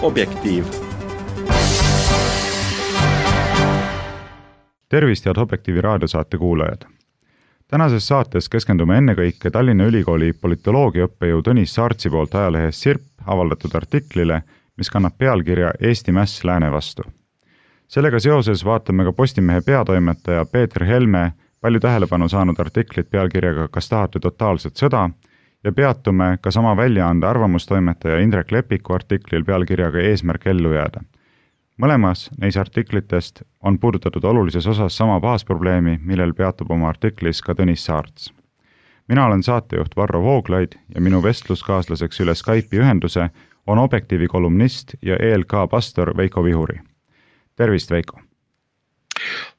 Objektiiv. Tervist, head Objektiivi raadiosaate kuulajad! Tänases saates keskendume ennekõike Tallinna Ülikooli politoloogiaõppejõu Tõnis Saartsi poolt ajalehes Sirp avaldatud artiklile, mis kannab pealkirja Eesti mäss lääne vastu. Sellega seoses vaatame ka Postimehe peatoimetaja Peeter Helme palju tähelepanu saanud artiklit pealkirjaga Kas tahate totaalset sõda ja peatume ka sama väljaande arvamustoimetaja Indrek Lepiku artiklil pealkirjaga Eesmärk ellu jääda. Mõlemas neis artiklitest on puudutatud olulises osas sama baasprobleemi, millel peatub oma artiklis ka Tõnis Saarts. Mina olen saatejuht Varro Vooglaid ja minu vestluskaaslaseks üle Skype'i ühenduse on Objektiivi kolumnist ja ELK pastor Veiko Vihuri. Tervist, Veiko!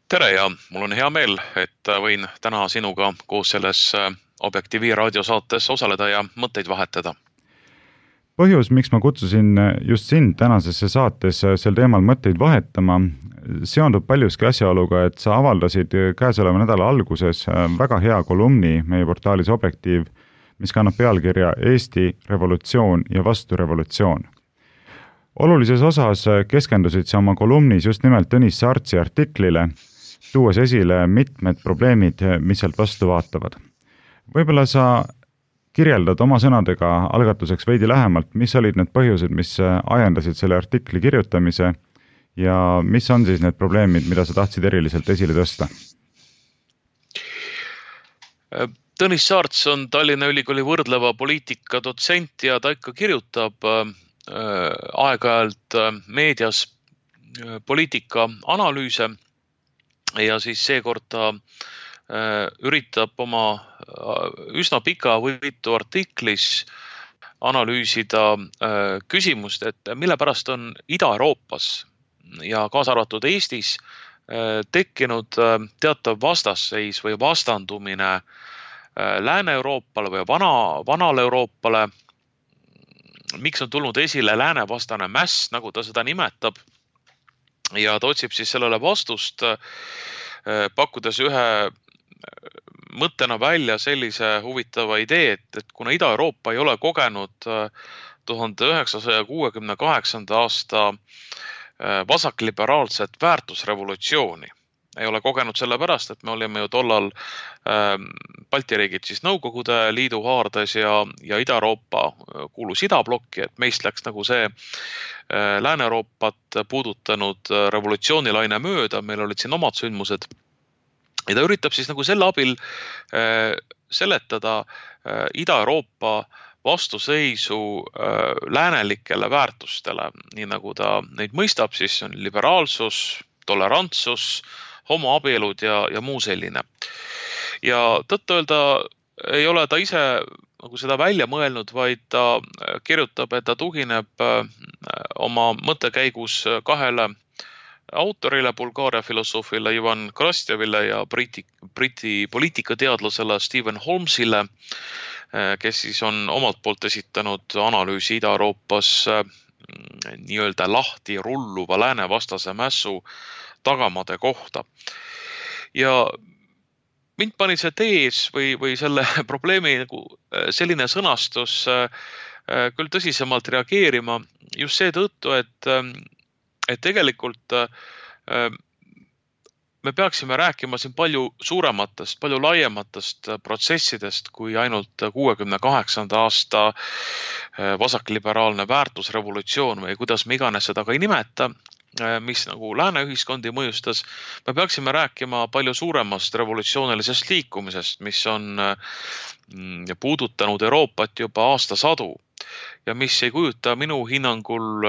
Tere ja mul on hea meel, et võin täna sinuga koos selles Objektiivi raadiosaates osaleda ja mõtteid vahetada. Põhjus, miks ma kutsusin just sind tänasesse saates sel teemal mõtteid vahetama, seondub paljuski asjaoluga, et sa avaldasid käesoleva nädala alguses väga hea kolumni meie portaalis Objektiiv, mis kannab pealkirja Eesti revolutsioon ja vasturevolutsioon. Olulises osas keskendusid sa oma kolumnis just nimelt Tõnis Saartsi artiklile, tuues esile mitmed probleemid, mis sealt vastu vaatavad. Võib-olla sa kirjeldad oma sõnadega algatuseks veidi lähemalt, mis olid need põhjused, mis ajendasid selle artikli kirjutamise ja mis on siis need probleemid, mida sa tahtsid eriliselt esile tõsta? Tõnis Saarts on Tallinna Ülikooli võrdleva poliitika dotsent ja ta ikka kirjutab aeg-ajalt meedias poliitika analüüse ja siis seekord ta üritab oma üsna pika võitu artiklis analüüsida küsimust, et mille pärast on Ida-Euroopas ja kaasa arvatud Eestis tekkinud teatav vastasseis või vastandumine Lääne-Euroopale või vanale Euroopale. Miks on tulnud esile läänevastane mäss, nagu ta seda nimetab, ja ta otsib siis sellele vastust, pakkudes ühe mõttena välja sellise huvitava idee, et kuna Ida-Euroopa ei ole kogenud 1968. aasta vasakliberaalset väärtusrevolutsiooni, ei ole kogenud sellepärast, et me olime ju tollal Balti riigid siis Nõukogude Liidu haardes ja Ida-Euroopa kuulus idablokki, et meist läks nagu see Lääne-Euroopat puudutanud revolutsioonilaine mööda, meil olid siin omad sündmused. Ja ta üritab siis nagu selle abil seletada Ida-Euroopa vastuseisu läänelikele väärtustele, nii nagu ta neid mõistab, siis on liberaalsus, tolerantsus, homoabielud ja muu selline. Ja tõtt-öelda ei ole ta ise nagu seda välja mõelnud, vaid ta kirjutab, et ta tugineb oma mõttekäigus kahele autorile, Bulgaaria filosoofile Ivan Krastjevile ja Briti poliitikateadlasele Stephen Holmesile, kes siis on omalt poolt esitanud analüüsi Ida-Euroopas nii-öelda lahti rulluva läänevastase mässu tagamade kohta. Ja mind pani see tees või selle probleemi nagu selline sõnastus küll tõsisemalt reageerima just seetõttu, et tegelikult me peaksime rääkima siin palju suurematest, palju laiematest protsessidest kui ainult 68. aasta vasakliberaalne väärtusrevolutsioon või kuidas me iganes seda ka ei nimeta, mis nagu lääne ühiskondi mõjustas. Me peaksime rääkima palju suuremast revolutsioonilisest liikumisest, mis on puudutanud Euroopat juba aastasadu ja mis ei kujuta minu hinnangul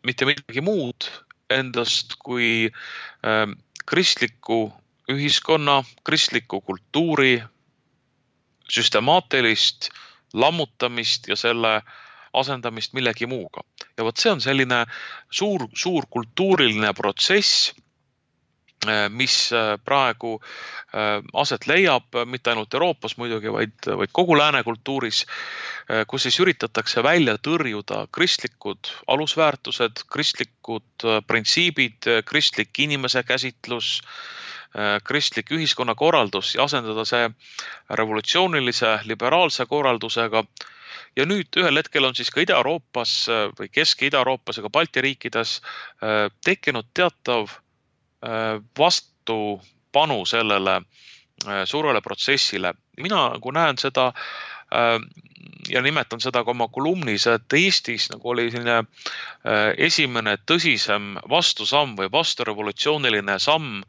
mitte midagi muud endast kui kristliku ühiskonna, kristliku kultuuri süstemaatilist lammutamist ja selle asendamist millegi muuga. Ja võt see on selline suur kultuuriline protsess, mis praegu aset leiab, mitte ainult Euroopas muidugi, vaid kogu lääne kultuuris, kus siis üritatakse välja tõrjuda kristlikud alusväärtused, kristlikud printsiibid, kristlik inimese käsitlus, kristlik ühiskonnakorraldus ja asendada see revolutsioonilise liberaalse korraldusega. ja nüüd ühel hetkel on siis ka Ida-Euroopas või Kesk- ja Ida-Euroopas ja ka Balti riikides tekkinud teatav vastupanu sellele suurele protsessile. Mina nagu näen seda ja nimetan seda ka oma kolumnis, et Eestis nagu oli selline esimene tõsisem vastusamm või vasturevolutsiooniline samm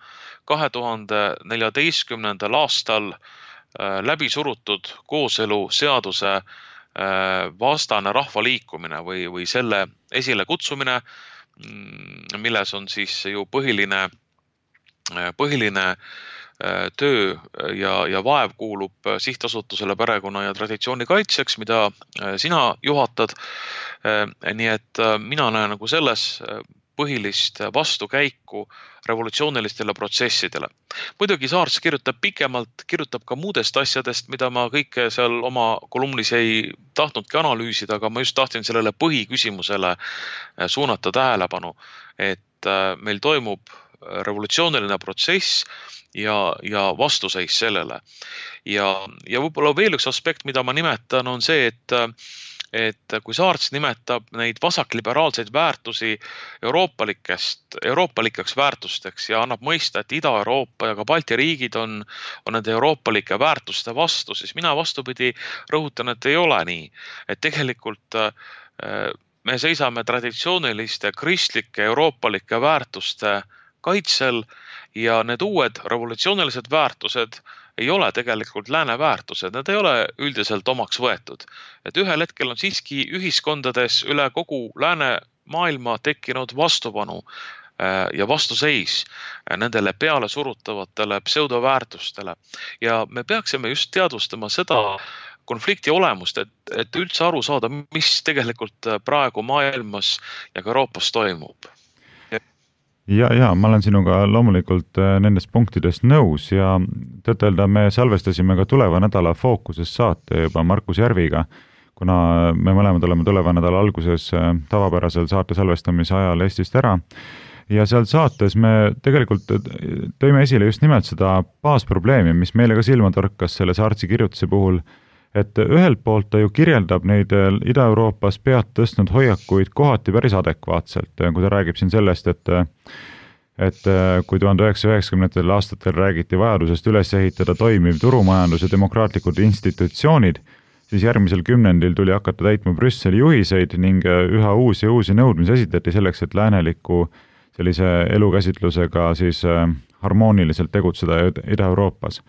2014. aastal läbi surutud kooseluseaduse vastane rahvaliikumine või selle esile kutsumine, milles on siis ju põhiline töö ja vaev kuulub sihtasutusele perekonna ja traditsiooni kaitseks, mida sina juhatad. Nii et mina näen nagu selles põhilist vastukäiku revolutsioonilistele protsessidele. Muidugi Saarts kirjutab pikemalt, kirjutab ka muudest asjadest, mida ma kõike seal oma kolumnis ei tahtnudki analüüsida, aga ma just tahtsin sellele põhiküsimusele suunata tähelepanu, et meil toimub revolutsiooniline protsess ja vastuseis sellele. Ja võib-olla veel üks aspekt, mida ma nimetan, on see, et kui Saarts nimetab neid vasakliberaalseid väärtusi euroopalikeks väärtusteks ja annab mõista, et Ida-Euroopa ja ka Balti riigid on nende euroopalike väärtuste vastu, siis mina vastupidi rõhutan, et ei ole nii. Et tegelikult me seisame traditsiooniliste kristlike euroopalike väärtuste kaitsel ja need uued revolutsioonilised väärtused ei ole tegelikult lääne väärtused, need ei ole üldiselt omaks võetud. Et ühel hetkel on siiski ühiskondades üle kogu lääne maailma tekkinud vastupanu ja vastuseis nendele peale surutavatele pseudoväärtustele. Ja me peaksime just teadvustama seda konflikti olemust, et üldse aru saada, mis tegelikult praegu maailmas ja ka Euroopas toimub. Ja ma olen sinuga loomulikult nendest punktidest nõus ja tõtt-öelda me salvestasime ka tuleva nädala Fookuses saate juba Markus Järviga, kuna me mõlemad oleme tuleva nädala alguses tavapärasel saate salvestamise ajal Eestist ära. Ja seal saates me tegelikult tõime esile just nimelt seda baasprobleemi, mis meile ka silma torkas selle Saartsi kirjutuse puhul, et ühelt poolt ta ju kirjeldab neid Ida-Euroopas pead tõstnud hoiakuid kohati päris adekvaatselt, kui ta räägib siin sellest, et kui 1990. aastatel räägiti vajadusest üles ehitada toimiv turumajandus ja demokraatlikud institutsioonid, siis järgmisel kümnendil tuli hakata täitma Brüsseli juhiseid ning üha uusi nõudmisi esitati selleks, et lääneliku sellise elukäsitlusega siis harmooniliselt tegutseda Ida-Euroopas.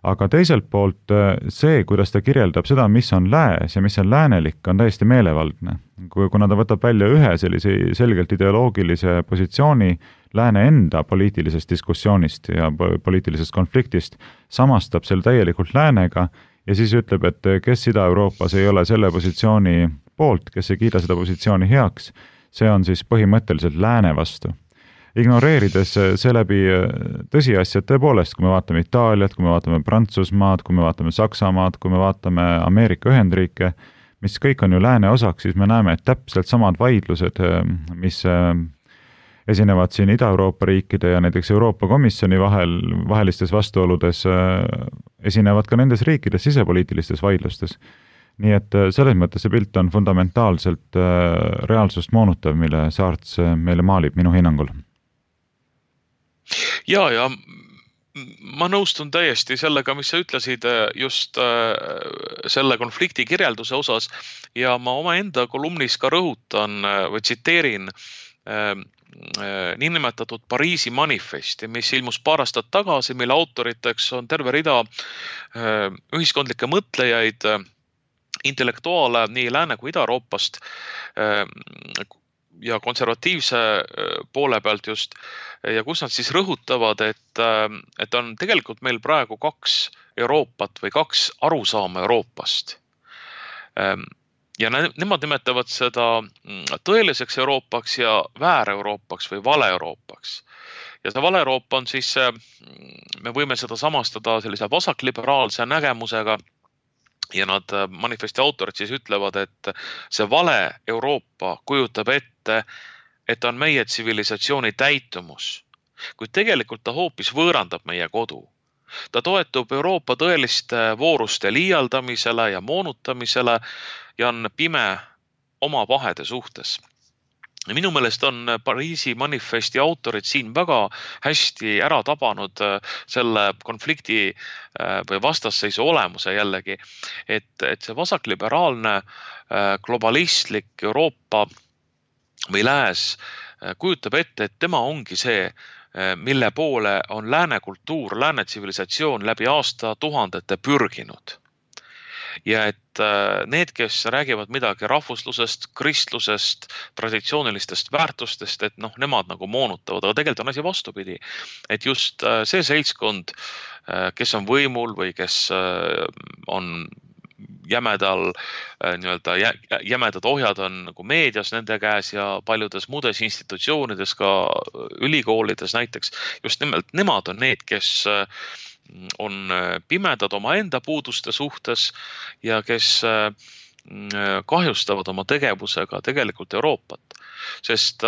Aga teiselt poolt see, kuidas ta kirjeldab seda, mis on lääs ja mis on läänelik, on täiesti meelevaldne. Kuna ta võtab välja ühe sellise selgelt ideoloogilise positsiooni lääne enda poliitilisest diskussioonist ja poliitilisest konfliktist, samastab selle täielikult läänega ja siis ütleb, et kes Ida-Euroopas ei ole selle positsiooni poolt, kes ei kiida seda positsiooni heaks, see on siis põhimõtteliselt lääne vastu. Ignoreerides seeläbi tõsiasjad tõepoolest, kui me vaatame Itaaliat, kui me vaatame Prantsusmaad, kui me vaatame Saksamaad, kui me vaatame Ameerika Ühendriike, mis kõik on ju lääne osaks, siis me näeme, et täpselt samad vaidlused, mis esinevad siin Ida-Euroopa riikide ja näiteks Euroopa Komisjoni vahelistes vastuoludes, esinevad ka nendes riikides sisepoliitilistes vaidlustes. Nii et selles mõttes see pilt on fundamentaalselt reaalsust moonutav, mille Saarts meile maalib minu hinnangul. Ja ma nõustun täiesti sellega, mis sa ütlesid just selle konflikti kirjelduse osas ja ma omaenda kolumnis ka rõhutan või tsiteerin niinimetatud Pariisi manifesti, mis ilmus paar aastat tagasi, mille autoriteks on terve rida ühiskondlikke mõtlejaid, intellektuaale nii Lääne kui Ida-Euroopast ja konservatiivse poole pealt just, ja kus nad siis rõhutavad, et on tegelikult meil praegu kaks Euroopat või kaks arusaama Euroopast. Ja nemad nimetavad seda tõeliseks Euroopaks ja väär-Euroopaks või vale-Euroopaks. Ja see vale-Euroopa on siis, me võime seda samastada sellise vasakliberaalse nägemusega, ja nad manifesti autorid siis ütlevad, et see vale Euroopa kujutab ette, et on meie tsivilisatsiooni täitumus, kuid tegelikult ta hoopis võõrandab meie kodu. Ta toetub Euroopa tõeliste vooruste liialdamisele ja moonutamisele ja on pime oma pahede suhtes. Minu meelest on Pariisi manifesti autorid siin väga hästi ära tabanud selle konflikti või vastasseisu olemuse jällegi, et see vasakliberaalne globalistlik Euroopa või lääs kujutab ette, et tema ongi see, mille poole on lääne kultuur, lääne tsivilisatsioon läbi aastatuhandete pürginud. Ja et need, kes räägivad midagi rahvuslusest, kristlusest, traditsioonilistest väärtustest, et nemad nagu moonutavad, aga tegelikult on asi vastupidi. Et just see seltskond, kes on võimul või kes on jämedad ohjad on nagu meedias nende käes ja paljudes muudes institutsioonides, ka ülikoolides näiteks, just nimelt nemad on need, kes on pimedad oma enda puuduste suhtes ja kes kahjustavad oma tegevusega tegelikult Euroopat. Sest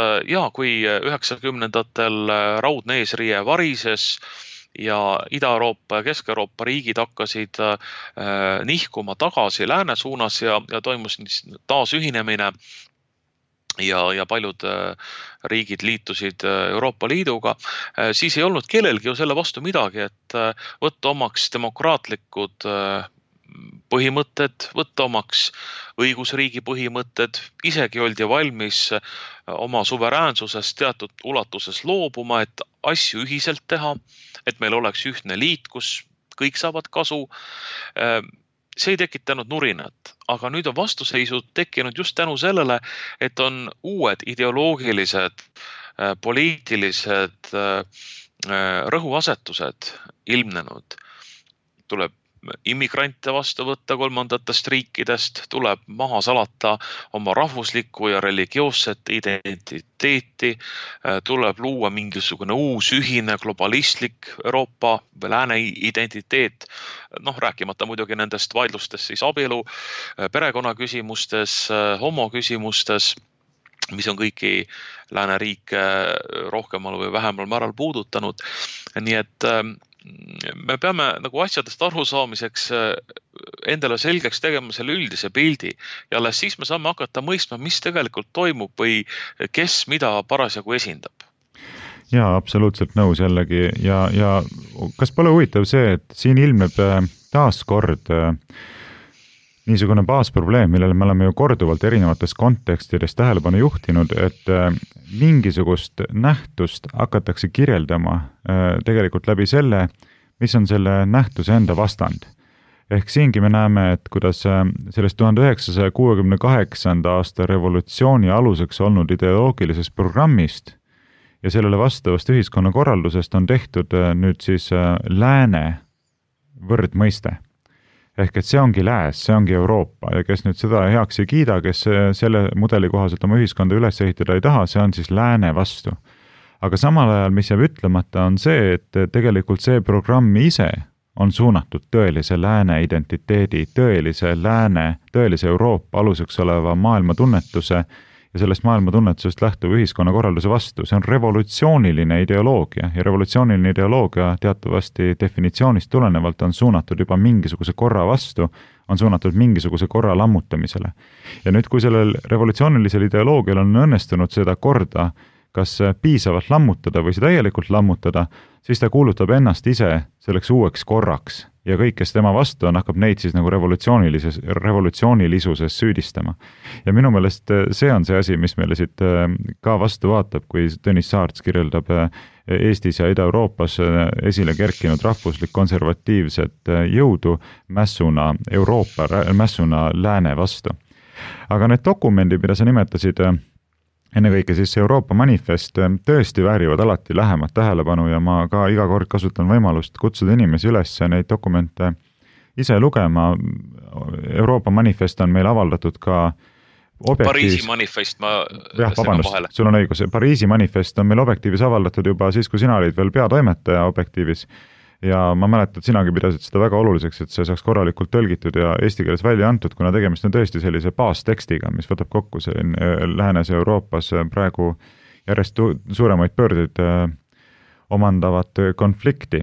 kui 90-ndatel raudne eesriie varises ja Ida-Euroopa ja Kesk-Euroopa riigid hakkasid nihkuma tagasi lääne suunas ja toimus taas ühinemine ja paljud riigid liitusid Euroopa Liiduga, siis ei olnud kellelgi ju selle vastu midagi, et võtta omaks demokraatlikud põhimõtted, võtta omaks õigusriigi põhimõtted, isegi oldi valmis oma suveräänsusest teatud ulatuses loobuma, et asju ühiselt teha, et meil oleks ühtne liit, kus kõik saavad kasu. See ei tekitanud nurinat, aga nüüd on vastuseisud tekkinud just tänu sellele, et on uued ideoloogilised, poliitilised rõhuasetused ilmnenud. Tuleb immigrante vastu võtta kolmandatest riikidest, tuleb maha salata oma rahvuslikku ja religioosset identiteeti, tuleb luua mingisugune uus ühine globalistlik Euroopa või lääne identiteet, rääkimata muidugi nendest vaidlustest siis abielu, perekonnaküsimustes, homoküsimustes, mis on kõiki lääneriike rohkemal või vähemal määral puudutanud. Nii et me peame nagu asjadest aru saamiseks endale selgeks tegema selle üldise pildi ja alles siis me saame hakata mõistma, mis tegelikult toimub või kes mida parasjagu esindab. Jaa, absoluutselt nõus jällegi ja kas pole huvitav see, et siin ilmneb taas kord niisugune baasprobleem, millele me oleme ju korduvalt erinevates kontekstides tähelepanu juhtinud, et mingisugust nähtust hakatakse kirjeldama tegelikult läbi selle, mis on selle nähtuse enda vastand. Ehk siingi me näeme, et kuidas sellest 1968. aasta revolutsiooni aluseks olnud ideoloogilisest programmist ja sellele vastavast ühiskonnakorraldusest on tehtud nüüd siis lääne võrdmõiste. Ehk et see ongi lääs, see ongi Euroopa ja kes nüüd seda heaks ei kiida, kes selle mudeli kohaselt oma ühiskonda üles ehitada ei taha, see on siis lääne vastu. Aga samal ajal, mis jääb ütlemata, on see, et tegelikult see programm ise on suunatud tõelise lääne identiteedi, tõelise Euroopa aluseks oleva maailmatunnetuse ja sellest maailmatunnetusest lähtuv ühiskonnakorralduse vastu. See on revolutsiooniline ideoloogia ja revolutsiooniline ideoloogia teatavasti definitsioonist tulenevalt on suunatud juba mingisuguse korra vastu, on suunatud mingisuguse korra lammutamisele. Ja nüüd, kui sellel revolutsioonilisel ideoloogial on õnnestunud seda korda kas piisavalt lammutada või seda täielikult lammutada, siis ta kuulutab ennast ise selleks uueks korraks ja kõik, kes tema vastu on, hakkab neid siis nagu revolutsioonilisuses süüdistama. Ja minu meelest see on see asi, mis meile siit ka vastu vaatab, kui Tõnis Saarts kirjeldab Eestis ja Ida-Euroopas esile kerkinud rahvuslik konservatiivset jõudu mässuna Euroopa, mässuna lääne vastu. Aga need dokumendid, mida sa nimetasid, ennekõike siis Euroopa manifest tõesti väärivad alati lähemat tähelepanu ja ma ka iga kord kasutan võimalust kutsuda inimesi üles neid dokumente ise lugema. Euroopa manifest on meil avaldatud ka Pariisi manifest, vahele. Sul on õigus, Pariisi manifest on meil Objektiivis avaldatud juba siis, kui sina olid veel peatoimetaja Objektiivis. Ja ma mäletan, et sinagi pidasid seda väga oluliseks, et see saaks korralikult tõlgitud ja eesti keeles välja antud, kuna tegemist on tõesti sellise baastekstiga, mis võtab kokku läänes Euroopas praegu järjest suuremaid pöördeid omandavat konflikti.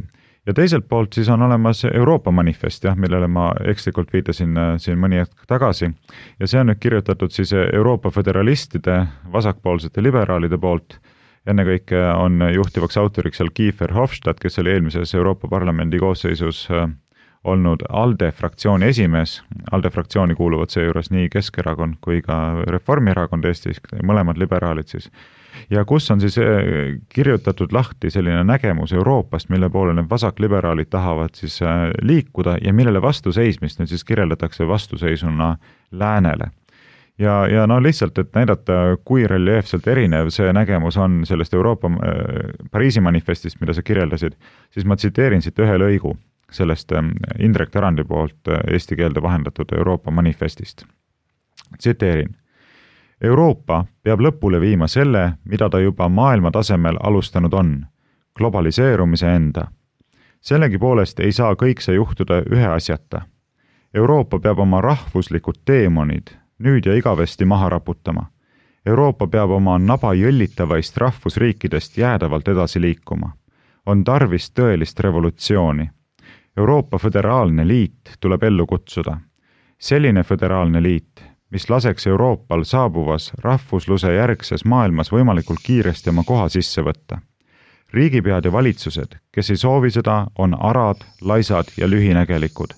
ja teiselt poolt siis on olemas Euroopa manifest, jah, millele ma ekslikult viitasin siin mõni hetk tagasi. Ja see on nüüd kirjutatud siis Euroopa föderalistide, vasakpoolsete liberaalide poolt. Ennekõike on juhtivaks autoriks seal Guy Verhofstadt, kes oli eelmises Euroopa Parlamendi koosseisus olnud ALDE fraktsiooni esimees. ALDE fraktsiooni kuuluvad seejuures nii Keskerakond kui ka Reformierakond Eestis, mõlemad liberaalid siis. Ja kus on siis kirjutatud lahti selline nägemus Euroopast, mille poole need vasakliberaalid tahavad siis liikuda ja millele vastuseismist nüüd siis kirjeldatakse vastuseisuna läänele. Ja no lihtsalt, et näidata, kui reljeefselt erinev see nägemus on sellest Euroopa Pariisi manifestist, mida sa kirjeldasid, siis ma tsiteerin siit ühe lõigu sellest Indrek Tarandi poolt eesti keelde vahendatud Euroopa manifestist. Tsiteerin. Euroopa peab lõpule viima selle, mida ta juba maailma tasemel alustanud on, globaliseerumise enda. Sellegi poolest ei saa kõik see juhtuda ühe asjata. Euroopa peab oma rahvuslikud teemonid nüüd ja igavesti maha raputama. Euroopa peab oma naba jõllitavaist rahvusriikidest jäädavalt edasi liikuma. On tarvis tõelist revolutsiooni. Euroopa föderaalne liit tuleb ellu kutsuda. Selline föderaalne liit, mis laseks Euroopal saabuvas rahvusluse järgses maailmas võimalikult kiiresti oma koha sisse võtta. Riigipead ja valitsused, kes ei soovi seda, on arad, laisad ja lühinägelikud.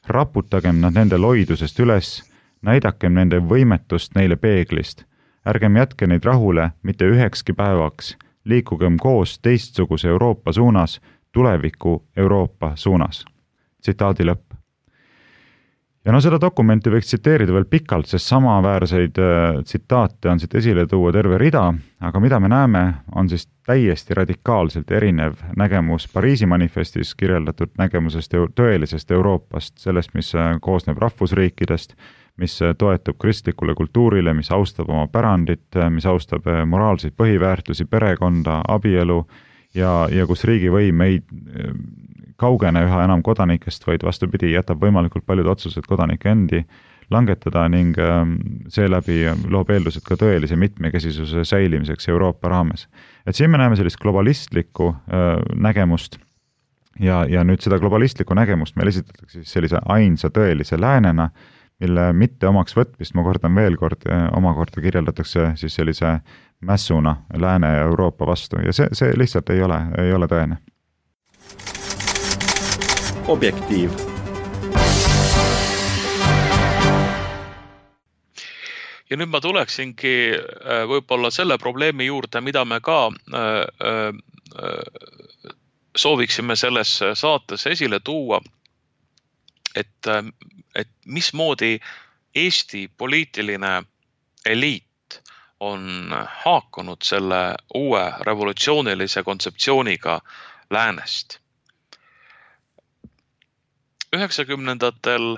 Raputagem nad nende loidusest üles, näidakem nende võimetust neile peeglist. Ärgem jätke neid rahule mitte ühekski päevaks, liikugem koos teistsuguse Euroopa suunas, tuleviku Euroopa suunas. Tsitaadi lõpp. Ja no seda dokumenti võiks tsiteerida veel pikalt, sest samaväärseid tsitaate on siit esile tuua terve rida, aga mida me näeme, on siis täiesti radikaalselt erinev nägemus Pariisi manifestis kirjeldatud nägemusest tõelisest Euroopast, sellest, mis koosneb rahvusriikidest, mis toetub kristlikule kultuurile, mis austab oma pärandit, mis austab moraalseid põhiväärtusi, perekonda, abielu ja kus riigivõim ei kaugene üha enam kodanikest, vaid vastupidi, jätab võimalikult paljud otsused kodanike endi langetada ning seeläbi loob eeldused ka tõelise mitmekesisuse säilimiseks Euroopa raames. Et siin me näeme sellist globalistlikku nägemust ja nüüd seda globalistlikku nägemust meil esitatakse siis sellise ainsa tõelise läänena, mille mitte omaks võtmist, ma kordan veel kord, omakorda kirjeldatakse siis sellise mässuna Lääne ja Euroopa vastu ja see lihtsalt ei ole tõene. Objektiiv. Ja nüüd ma tuleksingi võib-olla selle probleemi juurde, mida me ka sooviksime selles saates esile tuua, et mismoodi Eesti poliitiline eliit on haakunud selle uue revolutsioonilise kontseptsiooniga läänest. 90-ndatel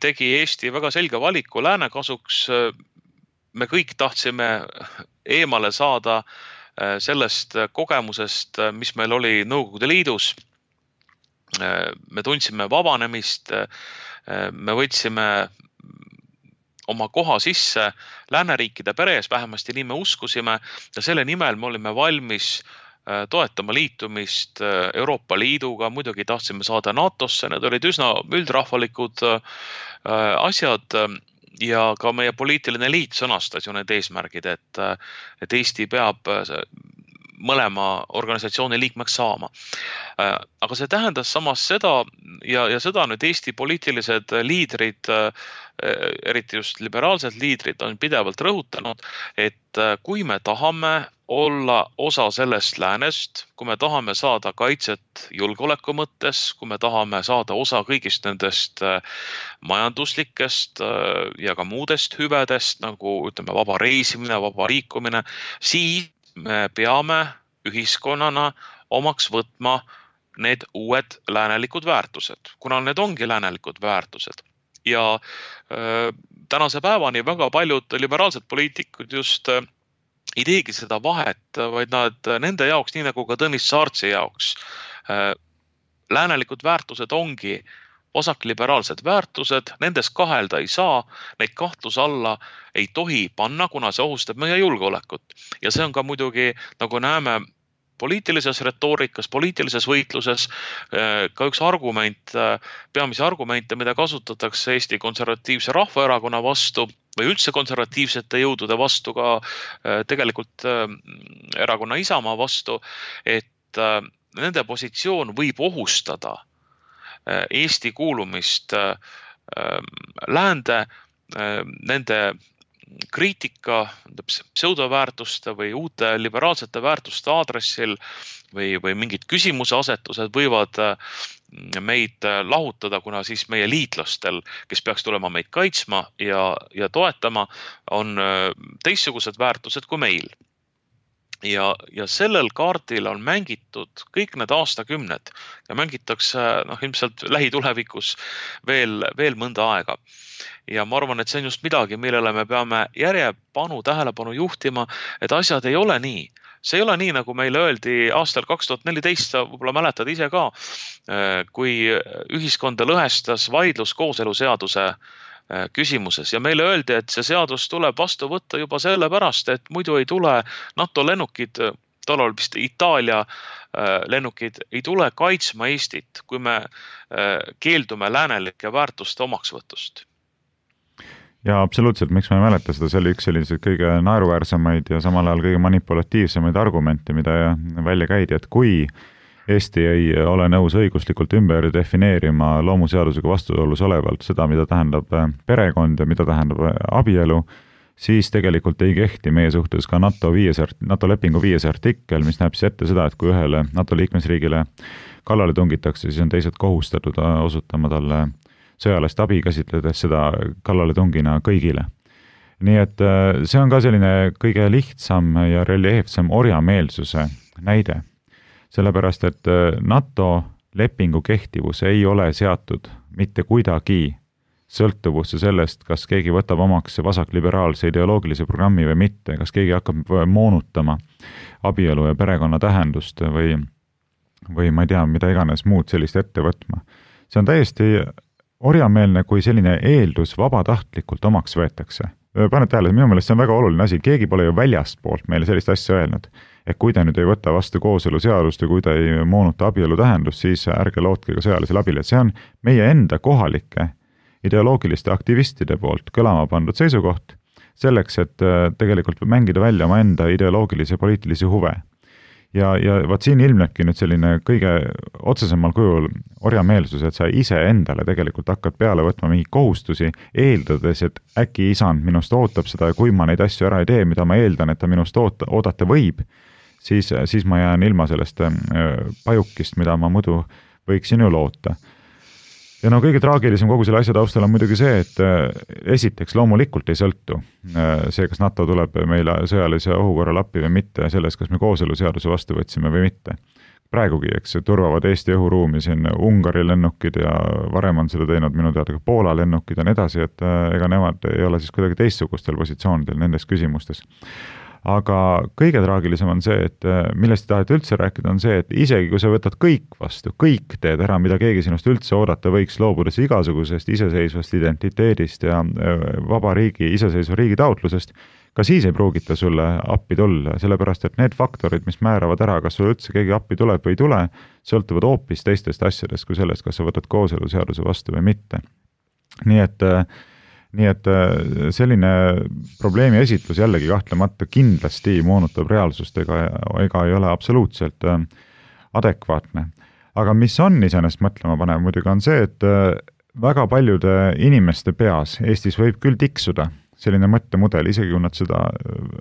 tegi Eesti väga selge valiku lääne kasuks. Me kõik tahtsime eemale saada sellest kogemusest, mis meil oli Nõukogude Liidus. Me tundsime vabanemist, me võtsime oma koha sisse lääneriikide peres, vähemasti nii me uskusime ja selle nimel me olime valmis toetama liitumist Euroopa Liiduga, muidugi tahtsime saada NATOsse, need olid üsna üldrahvalikud asjad ja ka meie poliitiline liit sõnastas ju need eesmärgid, et Eesti peab mõlema organisatsiooni liikmeks saama. Aga see tähendas samas seda ja seda nüüd Eesti poliitilised liidrid, eriti just liberaalsed liidrid on pidevalt rõhutanud, et kui me tahame olla osa sellest läänest, kui me tahame saada kaitset julgeoleku mõttes, kui me tahame saada osa kõigist nendest majanduslikest ja ka muudest hüvedest, nagu ütleme vaba reisimine, vaba liikumine, siis me peame ühiskonnana omaks võtma need uued läänelikud väärtused, kuna need ongi läänelikud väärtused. Ja tänase päevani väga paljud liberaalsed poliitikud just ei teegi seda vahet, vaid nende jaoks, nii nagu ka Tõnis Saartsi jaoks, läänelikud väärtused ongi vasakliberaalsed väärtused, nendes kahelda ei saa, neid kahtluse alla ei tohi panna, kuna see ohustab meie julgeolekut. Ja see on ka muidugi, nagu näeme poliitilises retoorikas, poliitilises võitluses ka üks argument, peamisi argumente, mida kasutatakse Eesti Konservatiivse Rahvaerakonna vastu või üldse konservatiivsete jõudude vastu, ka tegelikult erakonna Isamaa vastu, et nende positsioon võib ohustada Eesti kuulumist läände, nende kriitika pseudoväärtuste või uute liberaalsete väärtuste aadressil või mingid küsimuseasetused võivad meid lahutada, kuna siis meie liitlastel, kes peaks tulema meid kaitsma ja toetama, on teistsugused väärtused kui meil. Ja sellel kaardil on mängitud kõik need aastakümned ja mängitakse ilmselt lähitulevikus veel mõnda aega. Ja ma arvan, et see on just midagi, millele me peame tähelepanu juhtima, et asjad ei ole nii. See ei ole nii, nagu meile öeldi aastal 2014, sa võib-olla mäletad ise ka, kui ühiskonda lõhestas vaidlus kooseluseaduse küsimuses ja meile öeldi, et see seadus tuleb vastu võtta juba sellepärast, et muidu ei tule NATO lennukid, tollal vist Itaalia lennukid, ei tule kaitsma Eestit, kui me keeldume läänelike väärtuste omaksvõtust. Ja absoluutselt, miks ma ei mäleta seda, see oli üks selliseid kõige naeruväärsemaid ja samal ajal kõige manipulatiivsemaid argumente, mida välja käidi, et kui Eesti ei ole nõus õiguslikult ümber defineerima loomuseadusega vastuolus olevalt seda, mida tähendab perekond ja mida tähendab abielu, siis tegelikult ei kehti meie suhtes ka NATO lepingu 5. artikkel, mis näeb siis ette seda, et kui ühele NATO liikmesriigile kallale tungitakse, siis on teised kohustatud osutama talle sõjalist abi, käsitledes seda kallale tungina kõigile. Nii et see on ka selline kõige lihtsam ja reljeefsem orjameelsuse näide. Sellepärast, et NATO lepingu kehtivus ei ole seatud mitte kuidagi sõltuvusse sellest, kas keegi võtab omaks vasakliberaalse ideoloogilise programmi või mitte, kas keegi hakkab moonutama abielu ja perekonna tähendust või ma ei tea, mida iganes muud sellist ette võtma. See on täiesti orjameelne, kui selline eeldus vabatahtlikult omaks võetakse. Paned tähele, minu meelest see on väga oluline asi, keegi pole ju väljast poolt meile sellist asja öelnud. Et kui ta nüüd ei võta vastu kooseluseadust ja kui ta ei moonuta abielu tähendust, siis ärge lootke ka sõjalisele abile. See on meie enda kohalike ideoloogiliste aktivistide poolt kõlama pandud seisukoht selleks, et tegelikult mängida välja oma enda ideoloogilisi ja poliitilisi huve. Ja vaat siin ilmnebki nüüd selline kõige otsesemal kujul orjameelsus, et sa ise endale tegelikult hakkad peale võtma mingi kohustusi, eeldades, et äkki isand minust ootab seda ja kui ma neid asju ära ei tee, mida ma eeldan, et ta minust oodata võib, siis ma jään ilma sellest pajukist, mida ma muidu võiksin ju loota. Ja kõige traagilisem kogu selle asja taustal on muidugi see, et esiteks loomulikult ei sõltu see, kas NATO tuleb meile sõjalise ohukorral appi või mitte, selles, kas me kooseluseaduse vastu võtsime või mitte. Praegugi, eks, turvavad Eesti õhuruumi siin Ungari lennukid ja varem on seda teinud minu teada ka Poola lennukid ja nii edasi, et ega nemad ei ole siis kuidagi teistsugustel positsioonidel nendes küsimustes. Aga kõige traagilisem on see, et millest taheti üldse rääkida, on see, et isegi kui sa võtad kõik vastu, kõik teed ära, mida keegi sinust üldse oodata võiks, loobudes igasugusest iseseisvast identiteedist ja vaba riigi, iseseisva riigi taotlusest, ka siis ei pruugita sulle appi tulla, sellepärast et need faktorid, mis määravad ära, kas sulle üldse keegi appi tuleb või ei tule, sõltuvad hoopis teistest asjadest kui sellest, kas sa võtad kooseluseaduse vastu või mitte. Nii et selline probleemi esitlus jällegi kahtlemata kindlasti moonutab reaalsust ega ei ole absoluutselt adekvaatne. Aga mis on iseenesest mõtlema panev muidugi on see, et väga paljude inimeste peas Eestis võib küll tiksuda selline mõttemudel, isegi kui nad seda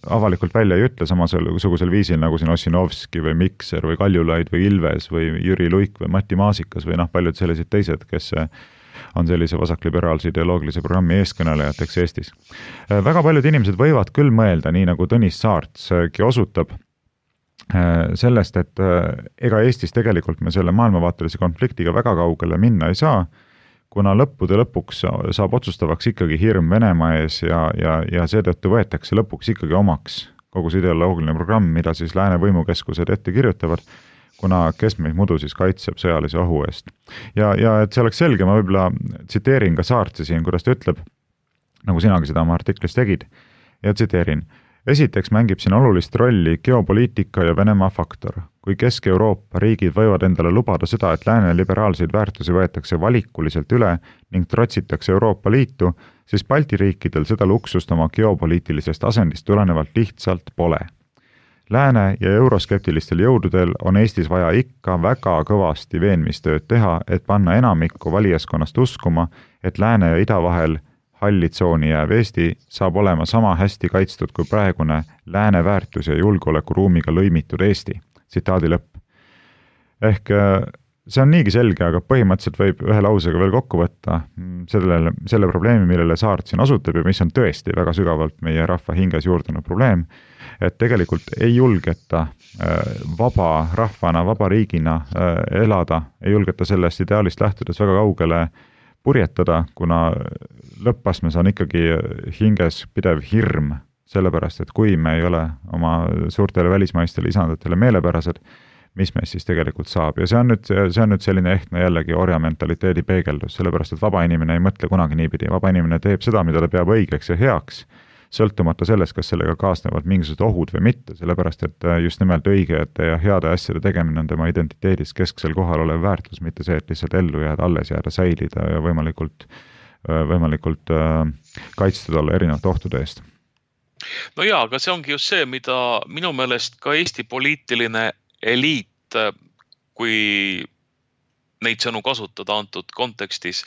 avalikult välja ei ütle samasugusel viisil nagu siin Ossinovski või Mikser või Kaljulaid või Ilves või Jüri Luik või Mati Maasikas või paljud sellised teised, kes on sellise vasakliberaalse ideoloogilise programmi eeskõnelejateks Eestis. Väga paljud inimesed võivad küll mõelda, nii nagu Tõnis Saartski osutab, sellest, et ega Eestis tegelikult me selle maailmavaatelise konfliktiga väga kaugele minna ei saa, kuna lõppude lõpuks saab otsustavaks ikkagi hirm Venemaa ees ja seetõttu võetakse lõpuks ikkagi omaks kogu see ideoloogiline programm, mida siis lääne võimukeskused ette kirjutavad, kuna kes meid muidu siis kaitseb sõjalise ohu eest. Ja et see oleks selge, ma võib-olla tsiteerin ka Saartsi siin, kuidas ta ütleb, nagu sinagi seda oma artiklis tegid, ja tsiteerin. Esiteks mängib siin olulist rolli geopoliitika ja Venemaa faktor. kui Kesk-Euroopa riigid võivad endale lubada seda, et lääne liberaalseid väärtusi võetakse valikuliselt üle ning trotsitakse Euroopa Liitu, siis Balti riikidel seda luksust oma geopoliitilisest asendist tulenevalt lihtsalt pole. Lääne ja euroskeptilistel jõududel on Eestis vaja ikka väga kõvasti veenmistööd teha, et panna enamikku valijaskonnast uskuma, et lääne ja ida vahel hallitsooni jääv Eesti saab olema sama hästi kaitstud kui praegune lääne väärtus- ja julgeolekuruumiga lõimitud Eesti. Tsitaadi lõpp. Ehk see on niigi selge, aga põhimõtteliselt võib ühe lausega veel kokku võtta selle probleemi, millele Saart siin osutab ja mis on tõesti väga sügavalt meie rahva hinges juurdunud probleem, et tegelikult ei julgeta vaba rahvana, vaba riigina elada, ei julgeta sellest ideaalist lähtudes väga kaugele purjetada, kuna lõppasmes on ikkagi hinges pidev hirm, sellepärast, et kui me ei ole oma suurtele välismaistele isandatele meelepärased, mis meist siis tegelikult saab. Ja see on nüüd selline ehtne jällegi orjamentaliteedi peegeldus, sellepärast, et vaba inimene ei mõtle kunagi niipidi. Vaba inimene teeb seda, mida ta peab õigeks ja heaks, sõltumata sellest, kas sellega kaasnevad mingisugused ohud või mitte, sellepärast, et just nimelt õigete ja heade asjade tegemine on tema identiteedis kesksel kohal olev väärtus, mitte see, et lihtsalt ellu jääda, alles jääda, säilida ja võimalikult kaitstud olla erinevate ohtude eest. No jaa, aga see ongi just see, mida minu meelest ka Eesti poliitiline eliit, kui neid sõnu kasutada antud kontekstis,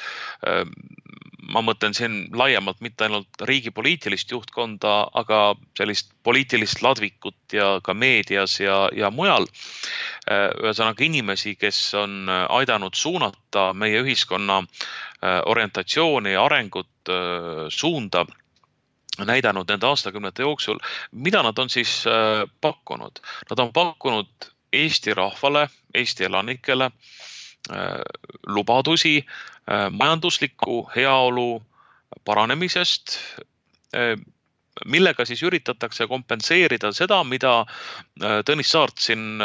ma mõtlen siin laiemalt mitte ainult riigi poliitilist juhtkonda, aga sellist poliitilist ladvikut ja ka meedias ja mujal. Ühesõnaga inimesi, kes on aidanud suunata meie ühiskonna orientatsiooni ja arengut suunda, näidanud nende aastakümnete jooksul, mida nad on siis pakkunud. Nad on pakkunud Eesti rahvale, Eesti elanikele lubadusi majandusliku heaolu paranemisest, millega siis üritatakse kompenseerida seda, mida Tõnis Saart siin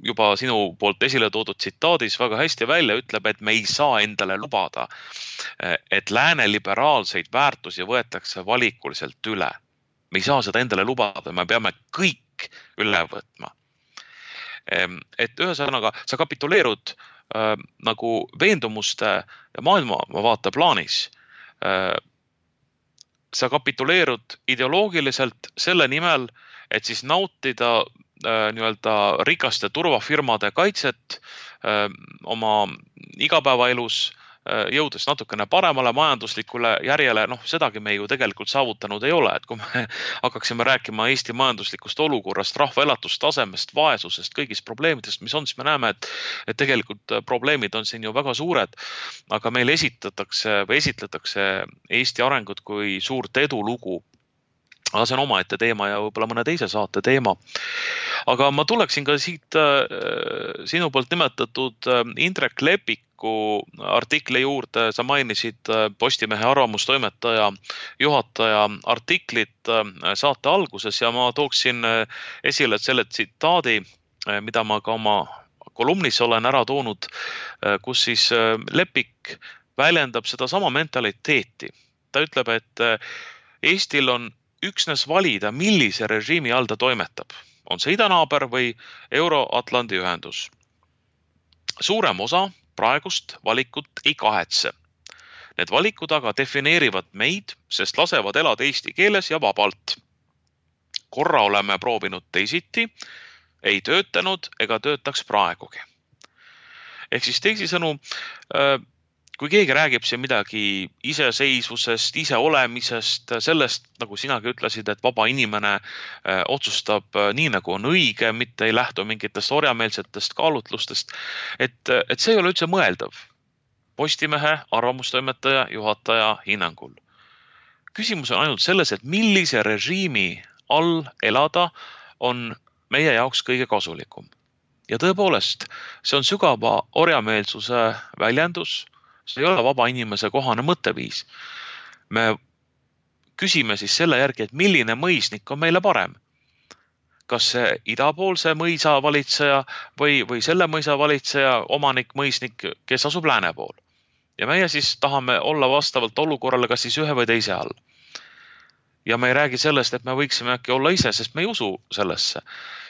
juba sinu poolt esile toodud tsitaadis väga hästi välja ütleb, et me ei saa endale lubada, et lääne liberaalseid väärtusi võetakse valikuliselt üle. Me ei saa seda endale lubada, me peame kõik üle võtma. Et ühesõnaga, sa kapituleerud nagu veendumuste ja maailmavaate plaanis. Sa kapituleerud ideoloogiliselt selle nimel, et siis nautida nii-öelda rikaste turvafirmade kaitset oma igapäevaelus, jõudes natukene paremale majanduslikule järjele, sedagi me ju tegelikult saavutanud ei ole, et kui me hakkaksime rääkima Eesti majanduslikust olukorrast, rahva elatustasemest, vaesusest, kõigist probleemidest, mis on, siis me näeme, et tegelikult probleemid on siin ju väga suured, aga meil esitletakse Eesti arengut kui suurt edulugu. Aga see on omaette teema ja võib-olla mõne teise saate teema. Aga ma tuleksin ka siit sinu poolt nimetatud Indrek Lepiku artikli juurde. Sa mainisid Postimehe arvamustoimetaja juhataja artiklit saate alguses ja ma tooksin esile selle tsitaadi, mida ma ka oma kolumnis olen ära toonud, kus siis Lepik väljendab seda sama mentaliteeti. Ta ütleb, et Eestil on üksnes valida, millise režiimi all ta toimetab. On see idanaaber või Euro-Atlandi ühendus. Suurem osa praegust valikut ei kahetse. Need valikud aga defineerivad meid, sest lasevad elada eesti keeles ja vabalt. Korra oleme proovinud teisiti, ei töötanud ega töötaks praegugi. Ehk siis teisisõnu, kui keegi räägib siin midagi iseseisvusest, iseolemisest, sellest, nagu sinagi ütlesid, et vaba inimene otsustab nii, nagu on õige, mitte ei lähtu mingitest orjameelsetest kaalutlustest, et see ei ole üldse mõeldav. Postimehe arvamustoimetaja juhataja hinnangul. Küsimus on ainult selles, et millise režiimi all elada on meie jaoks kõige kasulikum. Ja tõepoolest, see on sügava orjameelsuse väljendus. See ei ole vaba inimese kohane mõtteviis. Me küsime siis selle järgi, et milline mõisnik on meile parem. Kas see idapoolse mõisa valitseja või selle mõisa valitseja omanik mõisnik, kes asub lääne pool. Ja meie siis tahame olla vastavalt olukorrale kas siis ühe või teise all. ja me ei räägi sellest, et me võiksime äkki olla ise, sest me ei usu sellesse.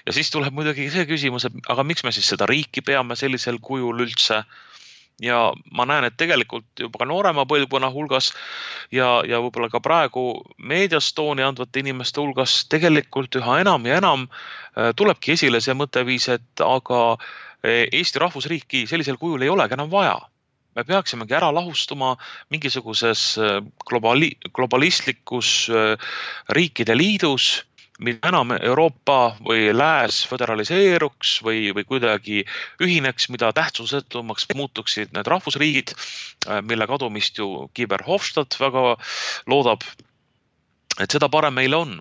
Ja siis tuleb muidugi see küsimus, et aga miks me siis seda riiki peame sellisel kujul üldse? Ja ma näen, et tegelikult juba ka noorema põlvkonna hulgas ja võib-olla ka praegu meedias tooni andvate inimeste hulgas tegelikult üha enam ja enam tulebki esile see mõtteviis, et aga Eesti rahvusriiki sellisel kujul ei olegi enam vaja. Me peaksimegi ära lahustuma mingisuguses globalistlikus riikide liidus, mida enam Euroopa või lääs föderaliseeruks või kuidagi ühineks, mida tähtsusetumaks muutuksid need rahvusriigid, mille kadumist ju Guy Verhofstadt väga loodab, et seda parem meile on.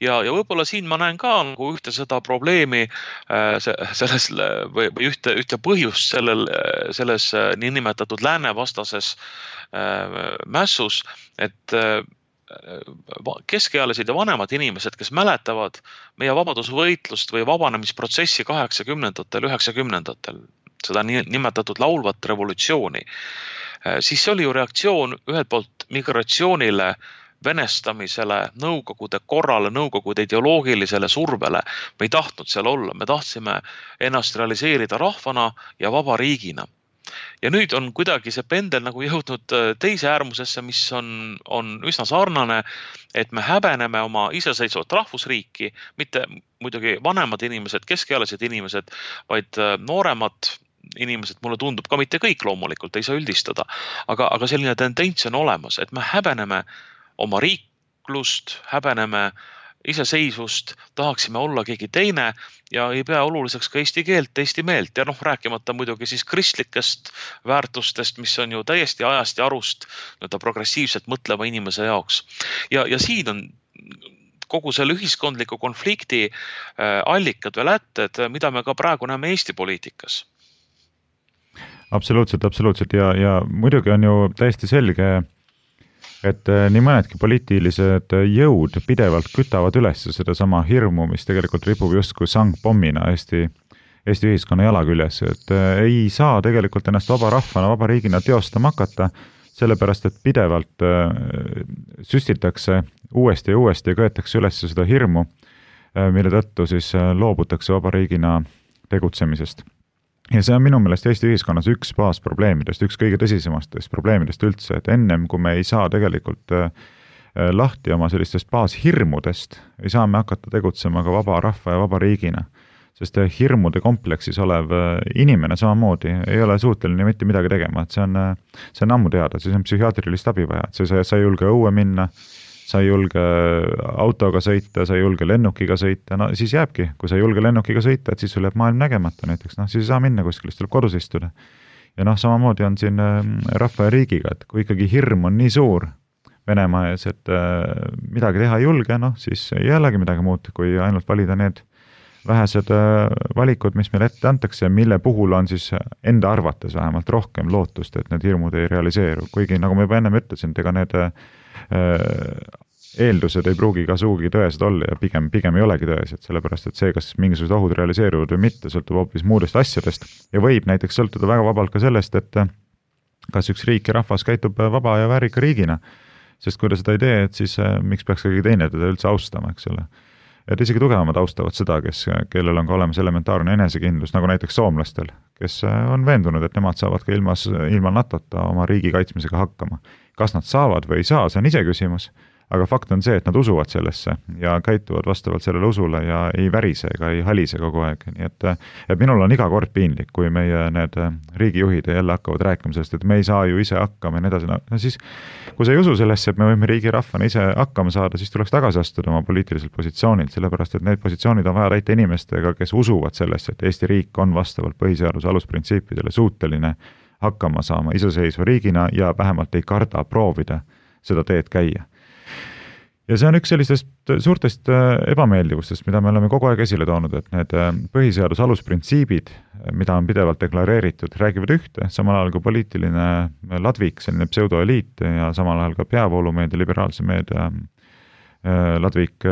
Ja võib-olla siin ma näen ka nagu ühte seda probleemi selles, või ühte põhjust selles niinimetatud läänevastases mässus, et keskealised ja vanemad inimesed, kes mäletavad meie vabadusvõitlust või vabanemisprotsessi 80-ndatel, 90-ndatel, seda nimetatud laulvat revolutsiooni, siis see oli ju reaktsioon ühelt poolt migratsioonile, venestamisele, nõukogude korrale, nõukogude ideoloogilisele survele. Me ei tahtnud seal olla, me tahtsime ennast realiseerida rahvana ja vaba riigina. Ja nüüd on kuidagi see pendel nagu jõudnud teise äärmusesse, mis on üsna sarnane, et me häbeneme oma iseseisvat rahvusriiki, mitte muidugi vanemad inimesed, keskealised inimesed, vaid nooremad inimesed, mulle tundub ka mitte kõik loomulikult, ei saa üldistada, aga selline tendents on olemas, et me häbeneme oma riiklust, häbeneme iseseisvust, tahaksime olla keegi teine ja ei pea oluliseks ka eesti keelt, eesti meelt ja rääkimata muidugi siis kristlikest väärtustest, mis on ju täiesti ajast ja arust progressiivselt mõtleva inimese jaoks. Ja siin on kogu selle ühiskondliku konflikti allikad või lätted, mida me ka praegu näeme Eesti poliitikas. Absoluutselt ja muidugi on ju täiesti selge, et nii mõnedki poliitilised jõud pidevalt kütavad üles seda sama hirmu, mis tegelikult ripub justkui sangpommina Eesti ühiskonna jala küljes, et ei saa tegelikult ennast vaba rahvana, vaba riigina teostama hakata, sellepärast et pidevalt süstitakse uuesti ja köetakse üles seda hirmu, mille tõttu siis loobutakse vaba riigina tegutsemisest. Ja see on minu meelest Eesti ühiskonnas üks baasprobleemidest, üks kõige tõsisemastest probleemidest üldse, et ennem kui me ei saa tegelikult lahti oma sellistest baashirmudest, ei saa me hakata tegutsema ka vaba rahva ja vaba riigina, sest hirmude kompleksis olev inimene samamoodi ei ole suuteline mitte midagi tegema, et see on ammu teada, siis on psühhiaatrilist abi vaja, et sa ei julge õue minna, sa ei julge autoga sõita, sa ei julge lennukiga sõita, no siis jääbki, kui sa ei julge lennukiga sõita, et siis sul jääb maailm nägemata näiteks, siis ei saa minna kuskil, siis tuleb kodus istuda. Ja samamoodi on siin rahva ja riigiga, et kui ikkagi hirm on nii suur Venemaa ees, et midagi teha ei julge, siis ei jällegi midagi muud, kui ainult valida need vähesed valikud, mis meil ette antakse ja mille puhul on siis enda arvates vähemalt rohkem lootust, et need hirmud ei realiseeru. Kuigi, nagu ma juba ennem ütlesin, ega need eeldused ei pruugi ka suugi tõesed olla ja pigem ei olegi tõesed, sellepärast et see, kas mingisugused ohud realiseeruvad või mitte, sõltub hoopis muudest asjadest ja võib näiteks sõltuda väga vabalt ka sellest, et kas üks riik ja rahvas käitub vaba ja väärika riigina, sest kui ta seda ei tee, et siis miks peaks keegi teine teda üldse austama, eks ole. Et isegi tugevamad austavad seda, kellel on ka olemas elementaarne enesekindlus, nagu näiteks soomlastel, kes on veendunud, et nemad saavad ka ilma NATO-ta oma riigi kaitsmisega hakkama. Kas nad saavad või ei saa, see on ise küsimus, aga fakt on see, et nad usuvad sellesse ja käituvad vastavalt sellele usule ja ei värise ega ei halise kogu aeg. Nii et minul on iga kord piinlik, kui meie need riigijuhid jälle hakkavad rääkima sellest, et me ei saa ju ise hakkama ja nii edasi. No siis, kui sa ei usu sellesse, et me võime riigi rahvana ise hakkama saada, siis tuleks tagasi astuda oma poliitiliselt positsioonilt, sellepärast et need positsioonid on vaja täita inimestega, kes usuvad sellesse, et Eesti riik on vastavalt põhiseaduse alusprintsiipidele suuteline hakkama saama iseseisva riigina ja vähemalt ei karda proovida seda teed käia. Ja see on üks sellistest suurtest ebameeldivustest, mida me oleme kogu aeg esile toonud, et need põhiseaduse alusprintsiibid, mida on pidevalt deklareeritud, räägivad ühte, samal ajal kui poliitiline ladvik, selline pseudoeliit ja samal ajal ka peavoolumeedia, liberaalse meedia ladvik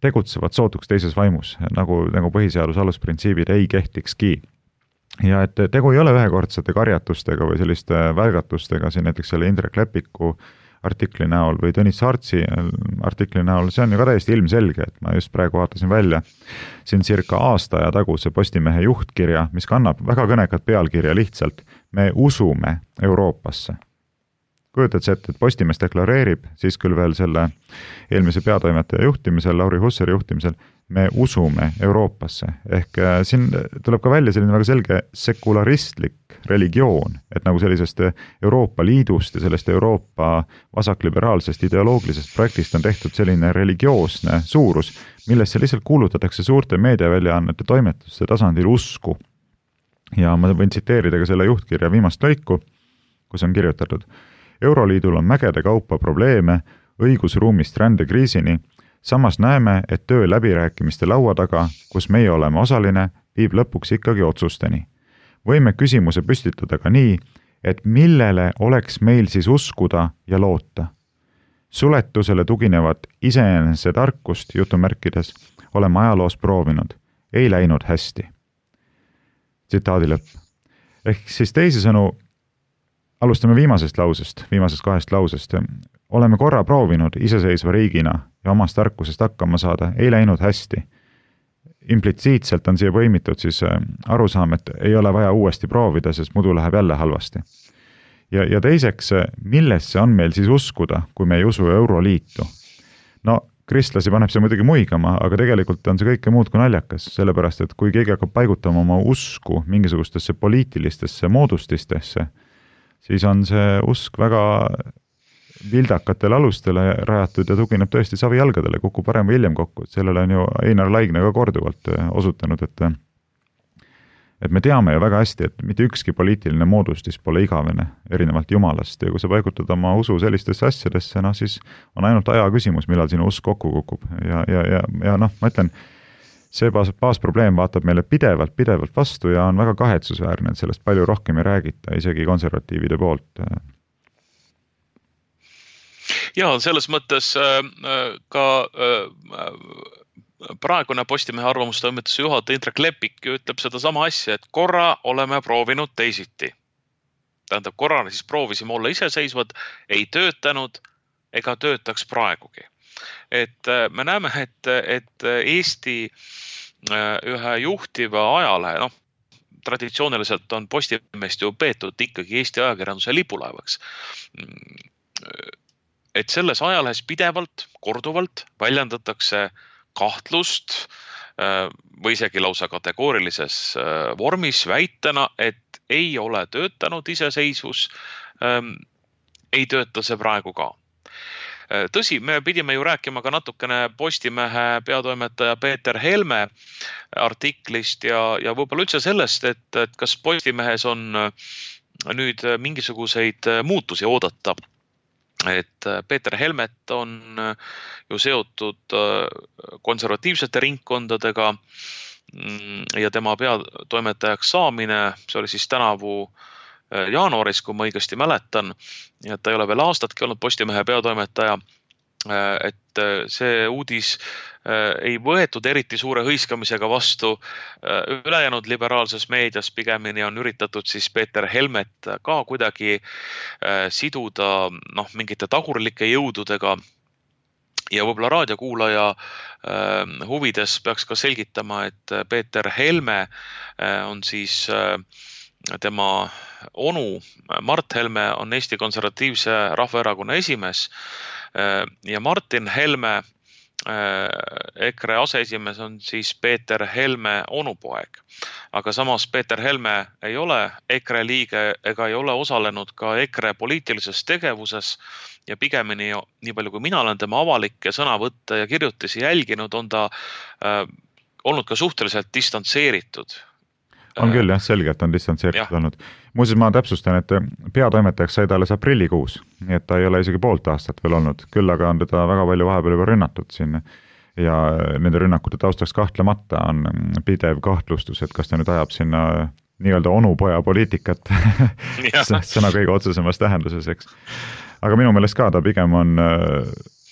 tegutsevad sootuks teises vaimus, nagu põhiseaduse alusprintsiibid ei kehtikski. Ja et tegu ei ole ühekordsete karjatustega või selliste välgatustega, siin näiteks selle Indrek Lepiku artikli näol või Tõnis Saartsi artikli näol, see on ju ka täiesti ilmselge, et ma just praegu vaatasin välja siin circa aasta aja taguse Postimehe juhtkirja, mis kannab väga kõnekat pealkirja lihtsalt "Me usume Euroopasse". Kujutad see ette, et Postimees deklareerib, siis küll veel selle eelmise peatoimetaja juhtimisel, Lauri Hussari juhtimisel, me usume Euroopasse. Ehk siin tuleb ka välja selline väga selge sekularistlik religioon, et nagu sellisest Euroopa Liidust ja sellest Euroopa vasakliberaalsest ideoloogilisest projektist on tehtud selline religioosne suurus, millesse lihtsalt kuulutatakse suurte meediaväljaannete toimetuste tasandil usku. Ja ma võin tsiteerida ka selle juhtkirja viimast lõiku, kus on kirjutatud: Euroliidul on mägede kaupa probleeme õigusruumist rändekriisini, samas näeme, et töö läbirääkimiste laua taga, kus meie oleme osaline, viib lõpuks ikkagi otsusteni. Võime küsimuse püstitada ka nii, et millele oleks meil siis uskuda ja loota. Suletusele tuginevat iseenese tarkust, jutumärkides, oleme ajaloos proovinud. Ei läinud hästi. Tsitaadi lõpp. Ehk siis teisisõnu, alustame viimasest kahest lausest. Oleme korra proovinud iseseisva riigina ja omast tarkusest hakkama saada, ei läinud hästi. Implitsiitselt on siia põimitud siis arusaam, et ei ole vaja uuesti proovida, sest muidu läheb jälle halvasti. Ja teiseks, millesse on meil siis uskuda, kui me ei usu Euroliitu? No, kristlasi paneb see muidugi muigama, aga tegelikult on see kõike muud kui naljakas, sellepärast, et kui keegi hakkab paigutama oma usku mingisugustesse poliitilistesse moodustistesse, siis on see usk väga vildakatele alustele rajatud ja tugineb tõesti savijalgadele, kukub parem või hiljem kokku. Sellele on ju Einar Laigne ka korduvalt osutanud, et me teame ju väga hästi, et mitte ükski poliitiline moodustis pole igavene erinevalt Jumalast ja kui sa paigutad oma usu sellistesse asjadesse, no siis on ainult aja küsimus, millal sinu usk kokku kukub. Ja noh, ma ütlen, see baasprobleem vaatab meile pidevalt vastu ja on väga kahetsusväärne, et sellest palju rohkem ei räägita, isegi konservatiivide poolt. Ja selles mõttes ka praegune Postimehe arvamustoimetuse juhataja Indrek Lepik ütleb seda sama asja, et korra oleme proovinud teisiti. Tähendab, korrana siis proovisime olla iseseisvad, ei töötanud ega töötaks praegugi. Et me näeme, et Eesti ühe juhtiva ajalehe, traditsiooniliselt on Postimeest ju peetud ikkagi Eesti ajakirjanduse lipulaevaks. Et selles ajalehes pidevalt, korduvalt väljendatakse kahtlust või isegi lausa kategoorilises vormis väitena, et ei ole töötanud iseseisvus, ei tööta see praegu ka. Tõsi, me pidime ju rääkima ka natukene Postimehe peatoimetaja Peeter Helme artiklist ja võib-olla üldse sellest, et kas Postimehes on nüüd mingisuguseid muutusi oodata. Et Peeter Helmet on ju seotud konservatiivsete ringkondadega ja tema peatoimetajaks saamine, see oli siis tänavu jaanuaris, kui ma õigesti mäletan, ja ta ei ole veel aastatki olnud Postimehe peatoimetaja, et see uudis ei võetud eriti suure hõiskamisega vastu ülejäänud liberaalses meedias, pigemini on üritatud siis Peeter Helmet ka kuidagi siduda mingite tagurlike jõududega ja võib-olla raadiokuulaja huvides peaks ka selgitama, et Peeter Helme on siis tema onu Mart Helme on Eesti Konservatiivse Rahvaerakonna esimees ja Martin Helme EKRE aseesimees on siis Peeter Helme onupoeg. Aga samas Peeter Helme ei ole EKRE liige ega ei ole osalenud ka EKRE poliitilises tegevuses ja pigemini nii palju kui mina olen tema avalikke sõnavõtte ja kirjutisi jälginud, on ta olnud ka suhteliselt distantseeritud. On küll jah, selgelt on distantseeritud olnud. Muuseas ma täpsustan, et peatoimetajaks sai ta alles aprillikuus, nii et ta ei ole isegi poolt aastat veel olnud. Küll aga on teda väga palju vahepeal juba rünnatud siin ja nende rünnakute taustaks kahtlemata on pidev kahtlustus, et kas ta nüüd ajab sinna nii-öelda onupoja poliitikat sõna kõige otsesemas tähenduses, eks. Aga minu meelest ka ta pigem on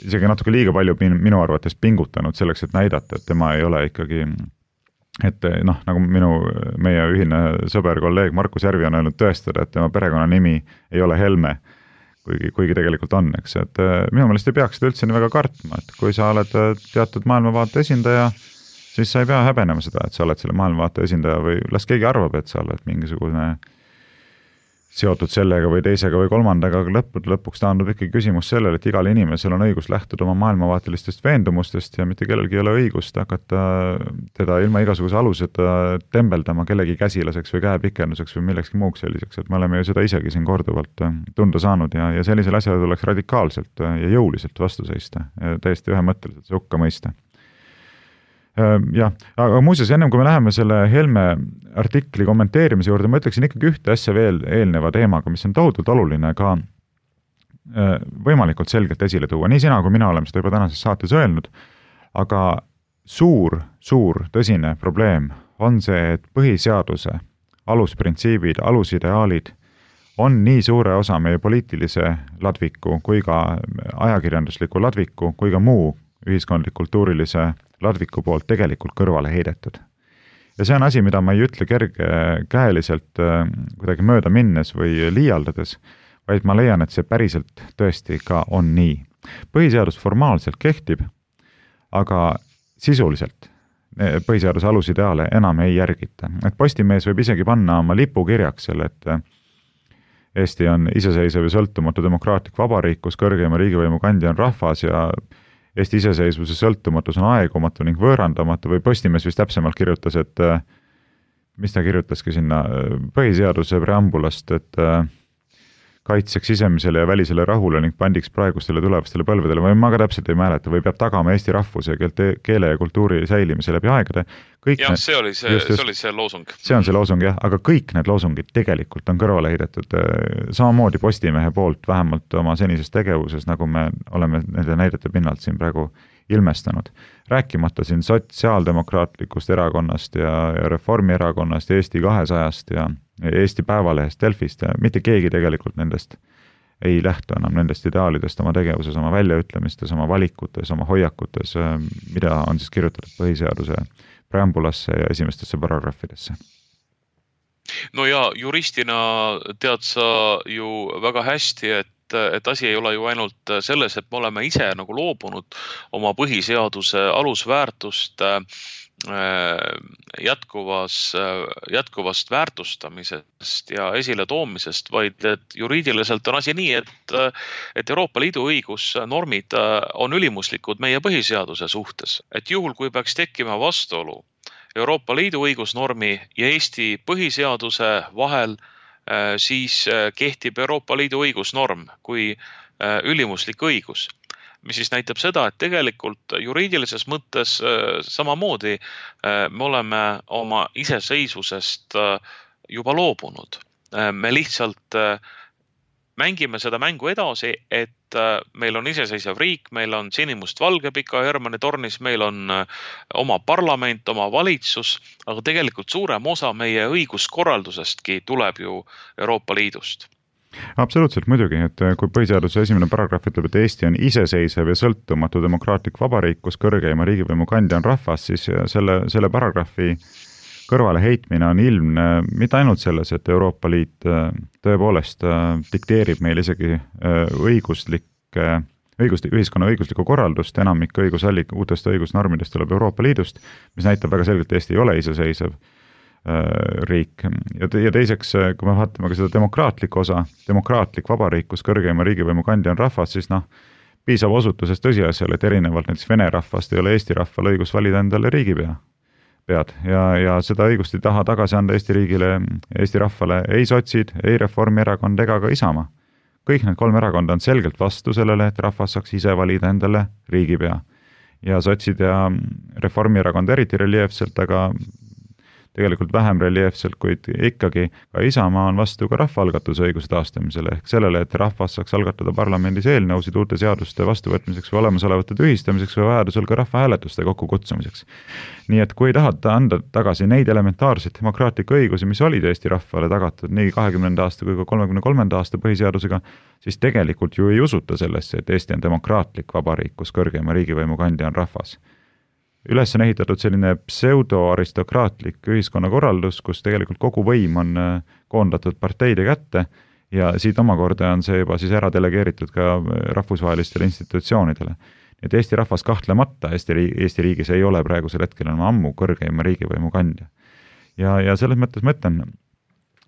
isegi natuke liiga palju minu arvates pingutanud selleks, et näidata, et tema ei ole ikkagi et nagu meie ühine sõber, kolleeg Markus Järvi on öelnud tõestada, et tema perekonnanimi ei ole Helme, kuigi tegelikult on, eks, et minu meelest ei peaks seda üldse nii väga kartma, et kui sa oled teatud maailmavaate esindaja, siis sa ei pea häbenema seda, et sa oled selle maailmavaate esindaja või las keegi arvab, et sa oled mingisugune seotud sellega või teisega või kolmandaga, aga lõpuks taandub ikkagi küsimus sellele, et igal inimesel on õigus lähtuda oma maailmavaatelistest veendumustest ja mitte kellelgi ei ole õigust hakata teda ilma igasuguse aluseta tembeldama kellegi käsilaseks või käepikenduseks või millekski muuks selliseks, et me oleme ju seda isegi siin korduvalt tunda saanud ja sellisele asjale tuleks radikaalselt ja jõuliselt vastu seista, täiesti ühemõtteliselt see hukka mõista. Jah, aga muuseas, ennem kui me läheme selle Helme artikli kommenteerimise juurde, ma ütleksin ikkagi ühte asja veel eelneva teemaga, mis on tohutult oluline ka võimalikult selgelt esile tuua. Nii sina kui mina oleme seda juba tänases saates öelnud, aga suur tõsine probleem on see, et põhiseaduse alusprintsiibid, alusideaalid on nii suure osa meie poliitilise ladviku kui ka ajakirjandusliku ladviku kui ka muu ühiskondlik-kultuurilise ladviku poolt tegelikult kõrvale heidetud. Ja see on asi, mida ma ei ütle kergekäeliselt kuidagi mööda minnes või liialdades, vaid ma leian, et see päriselt tõesti ka on nii. Põhiseadus formaalselt kehtib, aga sisuliselt põhiseaduse alusideaale enam ei järgita. Et Postimees võib isegi panna oma lipukirjaks selle, et Eesti on iseseisev ja sõltumatu demokraatlik vabariik, kus kõrgeima riigivõimu kandja on rahvas ja Eesti iseseisvuse sõltumatus on aegumatu ning võõrandamatu või Postimees vist täpsemalt kirjutas, et mis ta kirjutaski sinna põhiseaduse preambulast, et kaitseks sisemisele ja välisele rahule ning pandiks praegustele tulevastele põlvedele, või ma ka täpselt ei mäleta, või peab tagama Eesti rahvuse, keele ja kultuuri säilimise läbi aegade. Jah, see oli see loosung. See on see loosung, jah, aga kõik need loosungid tegelikult on kõrvale heidetud samamoodi Postimehe poolt, vähemalt oma senises tegevuses, nagu me oleme nende näidete pinnalt siin praegu ilmestanud. Rääkimata siin sotsiaaldemokraatlikust erakonnast ja Reformierakonnast ja Eesti 200-st ja Eesti Päevalehest, Delfist ja mitte keegi tegelikult nendest ei lähtu enam nendest ideaalidest oma tegevuses, oma väljaütlemistes, oma valikutes, oma hoiakutes, mida on siis kirjutatud põhiseaduse preambulasse ja esimestesse paragrahvidesse. No ja juristina tead sa ju väga hästi, et asi ei ole ju ainult selles, et me oleme ise nagu loobunud oma põhiseaduse alusväärtust jätkuvast väärtustamisest ja esile toomisest, vaid et juriidiliselt on asi nii, et Euroopa Liidu õigusnormid on ülimuslikud meie põhiseaduse suhtes. Et juhul, kui peaks tekkima vastuolu Euroopa Liidu õigusnormi ja Eesti põhiseaduse vahel, siis kehtib Euroopa Liidu õigusnorm kui ülimuslik õigus, mis siis näitab seda, et tegelikult juriidilises mõttes samamoodi me oleme oma iseseisvusest juba loobunud. Me lihtsalt mängime seda mängu edasi, et meil on iseseisev riik, meil on sinimustvalge Pika Hermanni tornis, meil on oma parlament, oma valitsus, aga tegelikult suurem osa meie õiguskorraldusestki tuleb ju Euroopa Liidust. Absoluutselt muidugi, et kui põhiseaduse esimene paragrahv ütleb, et Eesti on iseseisev ja sõltumatu demokraatlik vabariik, kus kõrgeima riigivõimu kandja on rahvas, siis selle paragrahvi kõrvale heitmine on ilmne mitte ainult selles, et Euroopa Liit tõepoolest dikteerib meil isegi ühiskonna õiguslikku korraldust, enamik uutest õigusnormidest tuleb Euroopa Liidust, mis näitab väga selgelt, et Eesti ei ole iseseisev riik. Ja teiseks, kui me vaatame ka seda demokraatlikku osa, demokraatlik vabariik, kus kõrgeima riigivõimu kandja on rahvas, siis piisab osutusest tõsiasjale, et erinevalt näiteks vene rahvast ei ole Eesti rahval õigus valida endale riigipead. Ja seda õigust ei taha tagasi anda Eesti riigile, Eesti rahvale ei sotsid, ei Reformierakond ega ka Isamaa. Kõik need 3 erakonda on selgelt vastu sellele, et rahvas saaks ise valida endale riigipea. Ja sotsid ja Reformierakond eriti reljeefselt, aga tegelikult vähem reljeefselt, kuid ikkagi ka Isamaa on vastu ka rahvaalgatuse õiguse taastamisele ehk sellele, et rahvas saaks algatada parlamendis eelnõusid uute seaduste vastuvõtmiseks või olemasolevate tühistamiseks või vajadusel ka rahvahääletuste kokkukutsumiseks. Nii et kui ei tahata anda tagasi neid elementaarseid demokraatlikke õigusi, mis olid Eesti rahvale tagatud nii 20. aasta kui ka 33. aasta põhiseadusega, siis tegelikult ju ei usuta sellesse, et Eesti on demokraatlik vabariik, kus kõrgeima riigivõimu kandja on rahvas. Üles on ehitatud selline pseudoaristokraatlik ühiskonnakorraldus, kus tegelikult kogu võim on koondatud parteide kätte ja siit omakorda on see juba siis ära delegeeritud ka rahvusvahelistele institutsioonidele. Et Eesti rahvas kahtlemata Eesti riigis ei ole praegusel hetkel enam ammu kõrgeima riigivõimu kandja. Ja selles mõttes ma ütlen,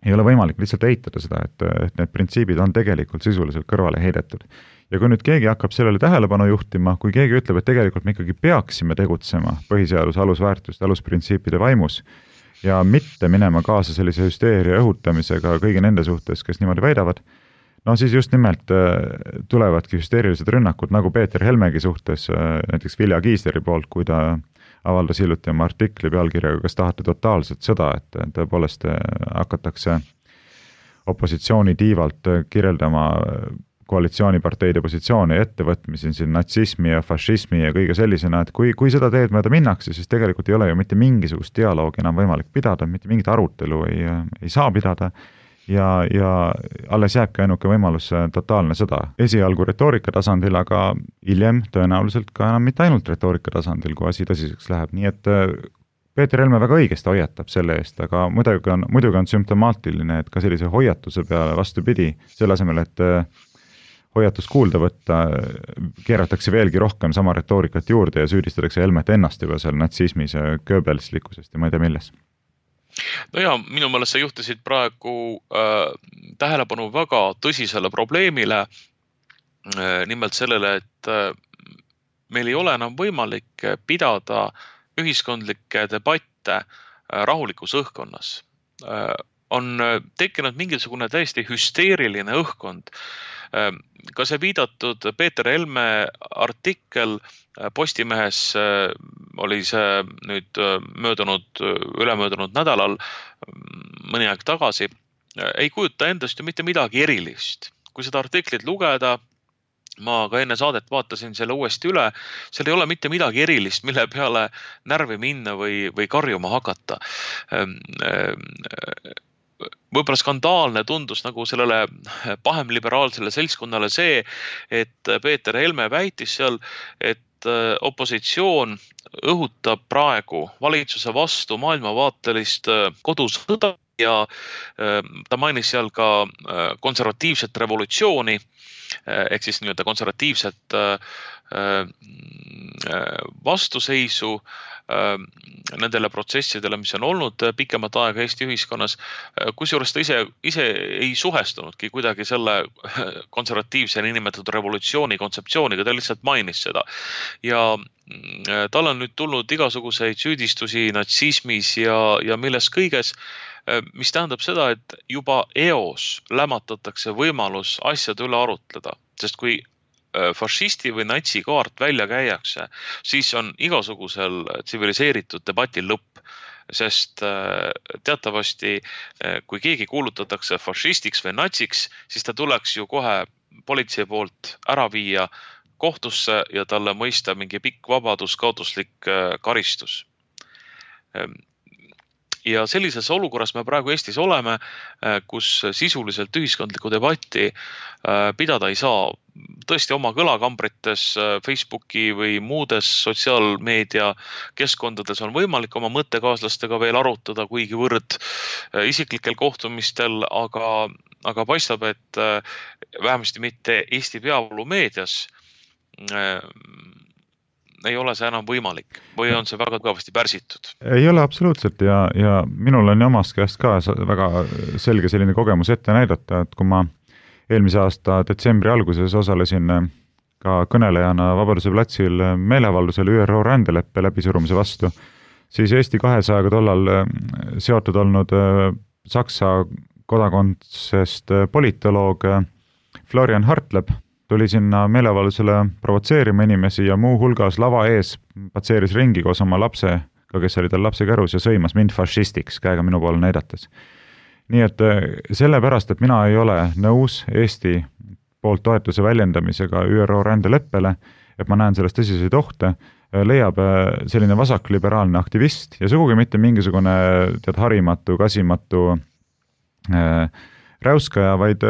ei ole võimalik lihtsalt eitada seda, et need printsiibid on tegelikult sisuliselt kõrvale heidetud. Ja kui nüüd keegi hakkab sellele tähelepanu juhtima, kui keegi ütleb, et tegelikult me ikkagi peaksime tegutsema põhiseaduse alusväärtuste, alusprintsiipide vaimus ja mitte minema kaasa sellise hüsteeria õhutamisega kõigi nende suhtes, kes niimoodi väidavad, no siis just nimelt tulevadki hüsteerilised rünnakud, nagu Peeter Helmegi suhtes, näiteks Vilja Kiisleri poolt, kui ta avaldas hiljuti oma artikli pealkirjaga, kas tahate totaalset sõda, et tõepoolest hakatakse opositsiooni tiivalt kirjeldama koalitsiooniparteide positsiooni ettevõtmisi siin natsismi ja fašismi ja kõige sellisena, et kui seda teed mööda minnakse, siis tegelikult ei ole ju mitte mingisugust dialoogi enam võimalik pidada, mitte mingit arutelu ei saa pidada ja alles jääbki ainuke võimalus totaalne sõda. Esialgu retoorika tasandil, aga hiljem tõenäoliselt ka enam mitte ainult retoorika tasandil, kui asi tõsiseks läheb. Nii et Peeter Helme väga õigesti hoiatab selle eest, aga muidugi on sümptomaatiline, et ka sellise hoiatuse peale vastupidi, selle asemel, et hoiatust kuulda võtta, keeratakse veelgi rohkem sama retoorikat juurde ja süüdistatakse Helmet ennast juba seal natsismis ja Goebbelslikkusest ja ma ei tea milles. No ja minu meelest sa juhtisid praegu tähelepanu väga tõsisele probleemile, nimelt sellele, et meil ei ole enam võimalik pidada ühiskondlikke debatte rahulikus õhkkonnas. On tekkinud mingisugune täiesti hüsteeriline õhkkond. Ka see viidatud Peeter Helme artikkel Postimehes oli see nüüd ülemöödunud nädalal mõni aeg tagasi, ei kujuta endast ju mitte midagi erilist. Kui seda artiklit lugeda, ma ka enne saadet vaatasin selle uuesti üle, seal ei ole mitte midagi erilist, mille peale närvi minna või karjuma hakata. Võib-olla skandaalne tundus nagu sellele pahemliberaalsele seltskonnale see, et Peeter Helme väitis seal, et opositsioon õhutab praegu valitsuse vastu maailmavaatelist kodusõda ja ta mainis seal ka konservatiivset revolutsiooni ehk siis nii-öelda konservatiivset vastuseisu nendele protsessidele, mis on olnud pikemat aega Eesti ühiskonnas, kusjuures ta ise ei suhestunudki kuidagi selle konservatiivse nimetatud revolutsiooni kontseptsiooniga, ta lihtsalt mainis seda. Ja tal on nüüd tulnud igasuguseid süüdistusi natsismis ja milles kõiges, mis tähendab seda, et juba eos lämmatatakse võimalus asjade üle arutleda, sest kui fašisti või natsi kaart välja käiakse, siis on igasugusel tsiviliseeritud debatil lõpp, sest teatavasti, kui keegi kuulutatakse fašistiks või natsiks, siis ta tuleks ju kohe politsei poolt ära viia kohtusse ja talle mõista mingi pikk vabaduskaotuslik karistus. Ja sellises olukorras me praegu Eestis oleme, kus sisuliselt ühiskondlikku debatti pidada ei saa. Tõesti oma kõlakambrites Facebooki või muudes sotsiaalmeedia keskkondades on võimalik oma mõttekaaslastega veel arutada kuigivõrd isiklikel kohtumistel, aga paistab, et vähemasti mitte Eesti peavoolumeedias ei ole see enam võimalik või on see väga kõvasti pärsitud? Ei ole absoluutselt ja minul on omast käest ka väga selge selline kogemus ette näidata, et kui ma eelmise aasta detsembri alguses osalesin ka kõnelejana Vabaduse platsil meeleavaldusel ÜRO rändeleppe läbisurumise vastu, siis Eesti 200-ga tollal seotud olnud Saksa kodakondsest politoloog Florian Hartleb tuli sinna meeleavaldusele provotseerima inimesi ja muu hulgas lava ees patseeris ringi koos oma lapsega, kes oli tal lapse kärus ja sõimas mind fašistiks, käega minu poole näidates. Nii et sellepärast, et mina ei ole nõus Eesti poolt toetuse väljendamisega ÜRO rändeleppele, et ma näen sellest tõsiseid ohte, leiab selline vasakliberaalne aktivist ja sugugi mitte mingisugune harimatu, kasimatu räuskaja, vaid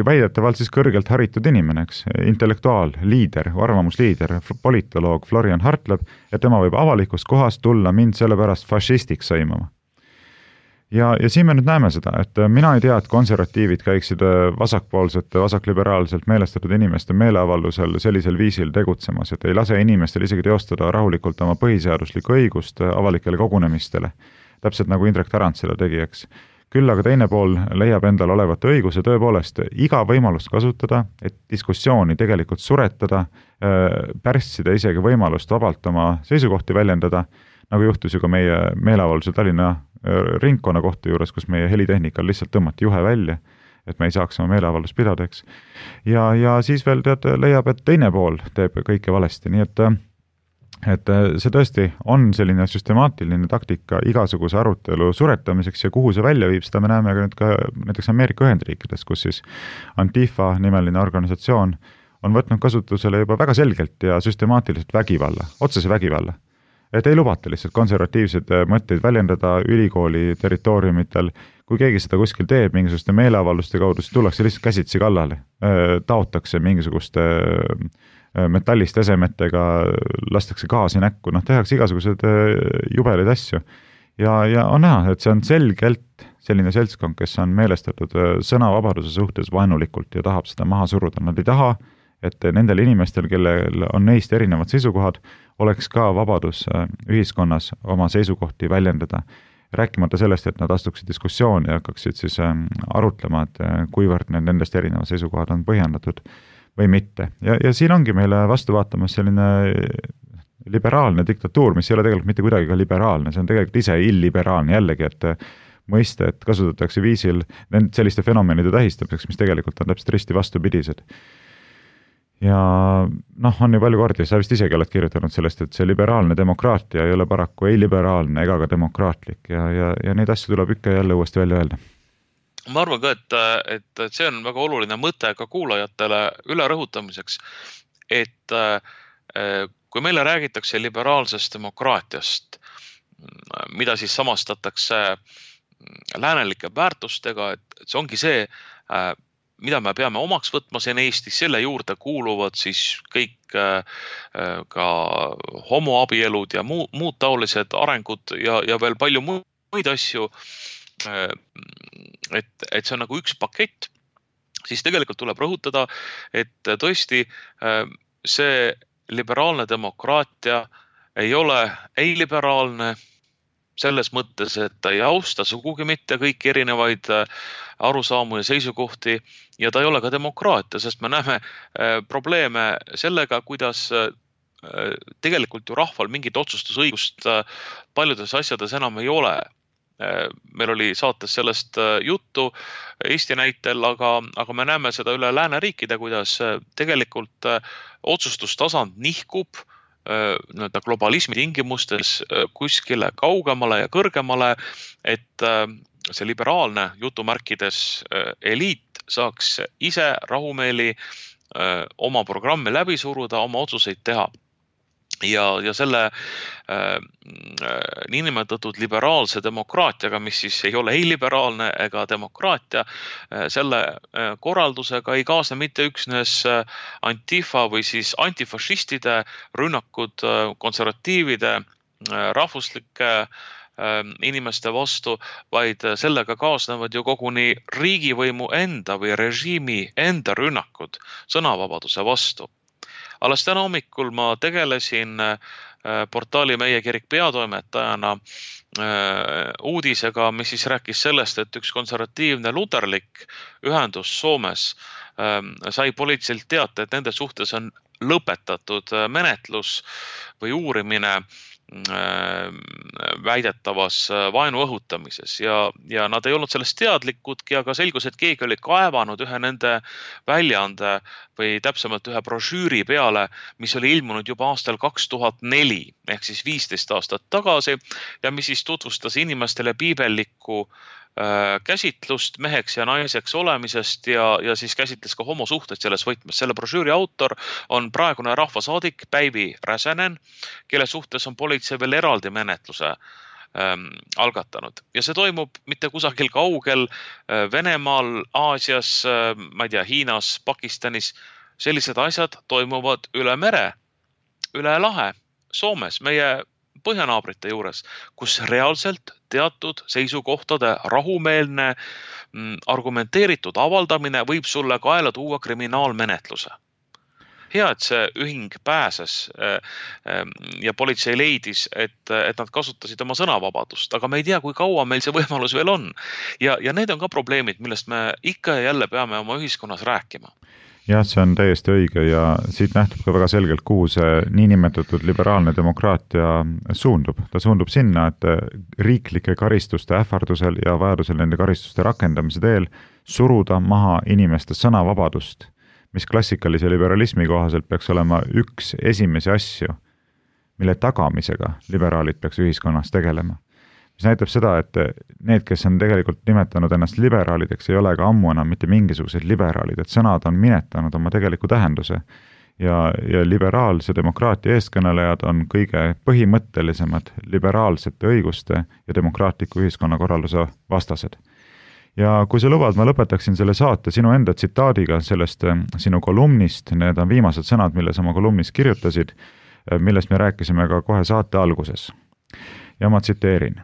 väidetavalt siis kõrgelt haritud inimene, intellektuaal, liider, arvamusliider, politoloog Florian Hartleb, et tema võib avalikust kohast tulla mind sellepärast fašistiks sõimama. ja siin me nüüd näeme seda, et mina ei tea, et konservatiivid käiksid vasakpoolsete, vasakliberaalselt meelestatud inimeste meeleavaldusel sellisel viisil tegutsemas, et ei lase inimestel isegi teostada rahulikult oma põhiseaduslikku õigust avalikele kogunemistele. Täpselt nagu Indrek Tarand seda tegi, eks. Küll aga teine pool leiab endal olevat õiguse tõepoolest iga võimalust kasutada, et diskussiooni tegelikult suretada, pärssida isegi võimalust vabalt oma seisukohti väljendada, nagu juhtus ju ka meie meeleavaldusel Tallinna ringkonna kohta juures, kus meie helitehnikal lihtsalt tõmmati juhe välja, et me ei saaks oma meeleavaldust pidada, eks. Ja siis veel leiab, et teine pool teeb kõike valesti, nii et see tõesti on selline süstemaatiline taktika igasuguse arutelu suretamiseks ja kuhu see välja viib, seda me näeme ka nüüd ka näiteks Ameerika Ühendriikides, kus siis Antifa nimeline organisatsioon on võtnud kasutusele juba väga selgelt ja süstemaatiliselt vägivalla, otsese vägivalla. Et ei lubata lihtsalt konservatiivseid mõtteid väljendada ülikooli territooriumitel. Kui keegi seda kuskil teeb mingisuguste meeleavalduste kaudu, siis tullakse lihtsalt käsitsi kallale. Taotakse mingisuguste metallist esemetega, lastakse gaasi näkku, tehakse igasugused jubeleid asju. Ja on näha, et see on selgelt selline seltskond, kes on meelestatud sõnavabaduse suhtes vaenulikult ja tahab seda maha suruda. Nad ei taha, et nendel inimestel, kellel on neist erinevad seisukohad, oleks ka vabadus ühiskonnas oma seisukohti väljendada. Rääkimata sellest, et nad astuksid diskussiooni ja hakkaksid siis arutlema, et kuivõrd nendest erinevad seisukohad on põhjendatud või mitte. Ja siin ongi meile vastu vaatamas selline liberaalne diktatuur, mis ei ole tegelikult mitte kuidagi ka liberaalne, see on tegelikult ise illiberaalne jällegi, et mõiste, et kasutatakse viisil selliste fenomenide tähistamiseks, mis tegelikult on täpselt risti vastupidised. Ja on ju palju kordi, sa vist isegi oled kirjutanud sellest, et see liberaalne demokraatia ei ole paraku ei liberaalne ega ka demokraatlik ja neid asju tuleb ikka jälle uuesti välja öelda. Ma arvan ka, et see on väga oluline mõte ka kuulajatele üle rõhutamiseks, et kui meile räägitakse liberaalsest demokraatiast, mida siis samastatakse läänelike väärtustega, et see ongi see, mida me peame omaks võtma siin Eestis, selle juurde kuuluvad siis kõik ka homoabielud ja muud taolised arengud ja veel palju muid asju, et see on nagu üks pakett, siis tegelikult tuleb rõhutada, et tõesti see liberaalne demokraatia ei ole ei liberaalne, selles mõttes, et ta ei austa sugugi mitte kõiki erinevaid arusaamu ja seisukohti ja ta ei ole ka demokraatia, sest me näeme probleeme sellega, kuidas tegelikult ju rahval mingit otsustusõigust paljudes asjades enam ei ole. Meil oli saates sellest juttu Eesti näitel, aga me näeme seda üle lääneriikide, kuidas tegelikult otsustustasand nihkub globalismi tingimustes kuskile kaugemale ja kõrgemale, et see liberaalne jutumärkides eliit saaks ise rahumeeli oma programmi läbi suruda, oma otsuseid teha. Ja selle niinimetatud liberaalse demokraatiaga, mis siis ei ole ei liberaalne ega demokraatia, selle korraldusega ei kaasne mitte üksnes Antifa või siis antifašistide rünnakud konservatiivide rahvuslike inimeste vastu, vaid sellega kaasnevad ju koguni riigivõimu enda või režiimi enda rünnakud sõnavabaduse vastu. Alles täna hommikul ma tegelesin portaali Meie Kirik peatoimetajana uudisega, mis siis rääkis sellest, et üks konservatiivne luterlik ühendus Soomes sai politseilt teate, et nende suhtes on lõpetatud menetlus või uurimine väidetavas vaenu õhutamises ja nad ei olnud sellest teadlikudki, aga selgus, et keegi oli kaevanud ühe nende väljaande või täpsemalt ühe brošüüri peale, mis oli ilmunud juba aastal 2004 ehk siis 15 aastat tagasi ja mis siis tutvustas inimestele piibellikku käsitlust meheks ja naiseks olemisest ja siis käsitles ka homosuhted selles võtmes. Selle brošüüri autor on praegune rahvasaadik Päivi Räsänen, kelle suhtes on politsei veel eraldi menetluse algatanud. Ja see toimub mitte kusagil kaugel Venemaal, Aasias, ma ei tea, Hiinas, Pakistanis. Sellised asjad toimuvad üle mere, üle lahe, Soomes, meie põhjanaabrite juures, kus reaalselt teatud seisukohtade rahumeelne argumenteeritud avaldamine võib sulle kaela tuua kriminaalmenetluse. Hea, et see ühing pääses ja politsei leidis, et nad kasutasid oma sõnavabadust, aga me ei tea, kui kaua meil see võimalus veel on. Ja need on ka probleemid, millest me ikka ja jälle peame oma ühiskonnas rääkima. Jah, see on täiesti õige ja siit nähtub ka väga selgelt, kuhu see niinimetatud liberaalne demokraatia suundub. Ta suundub sinna, et riiklike karistuste ähvardusel ja vajadusel nende karistuste rakendamise teel suruda maha inimeste sõnavabadust, mis klassikalise liberalismi kohaselt peaks olema üks esimesi asju, mille tagamisega liberaalid peaks ühiskonnas tegelema. Mis näitab seda, et need, kes on tegelikult nimetanud ennast liberaalideks, ei ole ka ammu enam mitte mingisugused liberaalid, et sõnad on minetanud oma tegeliku tähenduse. Ja liberaalse demokraatia eestkõnelejad on kõige põhimõttelisemad liberaalsete õiguste ja demokraatliku ühiskonnakorralduse vastased. Ja kui sa lubad, ma lõpetaksin selle saate sinu enda tsitaadiga sellest sinu kolumnist, need on viimased sõnad, milles oma kolumnis kirjutasid, millest me rääkisime ka kohe saate alguses. Ja ma tsiteerin.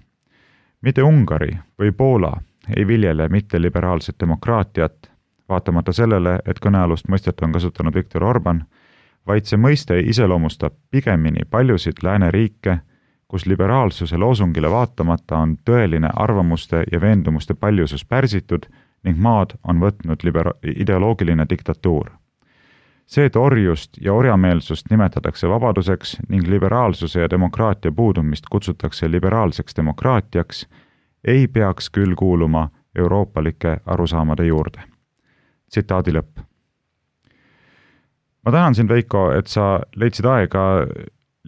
Mitte Ungari või Poola ei viljele mitte liberaalset demokraatiat, vaatamata sellele, et kõnealust mõistet on kasutanud Viktor Orban, vaid see mõiste iseloomustab pigemini paljusid lääneriike, kus liberaalsuse loosungile vaatamata on tõeline arvamuste ja veendumuste paljusus pärsitud ning maad on võtnud ideoloogiline diktatuur. See, et orjust ja orjameelsust nimetatakse vabaduseks ning liberaalsuse ja demokraatia puudumist kutsutakse liberaalseks demokraatiaks, ei peaks küll kuuluma euroopalike arusaamade juurde. Tsitaadi lõpp. Ma tänan sind, Veiko, et sa leidsid aega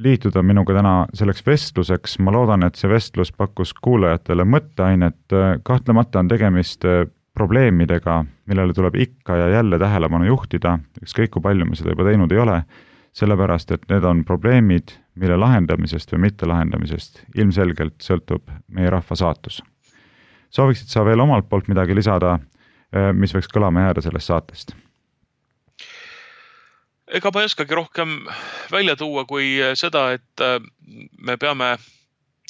liituda minuga täna selleks vestluseks. Ma loodan, et see vestlus pakkus kuulajatele mõtteainet. Kahtlemata on tegemist probleemidega, millele tuleb ikka ja jälle tähelepanu juhtida, ükskõik kui palju me seda juba teinud ei ole, sellepärast, et need on probleemid, mille lahendamisest või mitte lahendamisest ilmselgelt sõltub meie rahva saatus. Sooviksid sa veel omalt poolt midagi lisada, mis võiks kõlama jääda sellest saatest? Ega ma ei oskagi rohkem välja tuua kui seda, et me peame,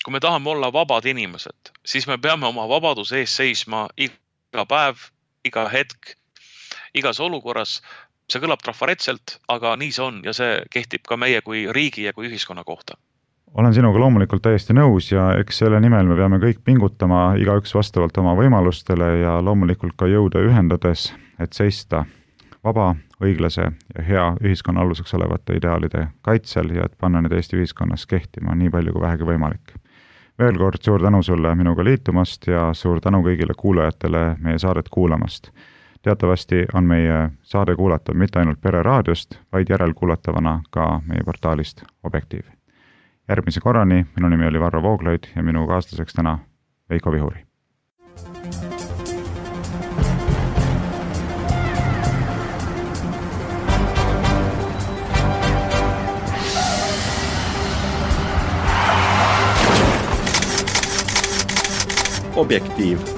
kui me tahame olla vabad inimesed, siis me peame oma vabaduse ees seisma iga päev, iga hetk, igas olukorras. See kõlab trafaretselt, aga nii see on ja see kehtib ka meie kui riigi ja kui ühiskonna kohta. Olen sinuga loomulikult täiesti nõus ja eks selle nimel me peame kõik pingutama, igaüks vastavalt oma võimalustele ja loomulikult ka jõuda ühendades, et seista vaba, õiglase ja hea ühiskonna aluseks olevate ideaalide kaitsel ja et panna need Eesti ühiskonnas kehtima nii palju kui vähegi võimalik. Veel kord suur tänu sulle minuga liitumast ja suur tänu kõigile kuulajatele meie saadet kuulamast. Teatavasti on meie saade kuulatav mitte ainult Pere raadiost, vaid järelkuulatavana ka meie portaalist Objektiiv. Järgmise korrani, minu nimi oli Varro Vooglaid ja minu kaaslaseks täna Veiko Vihuri. Objektiiv.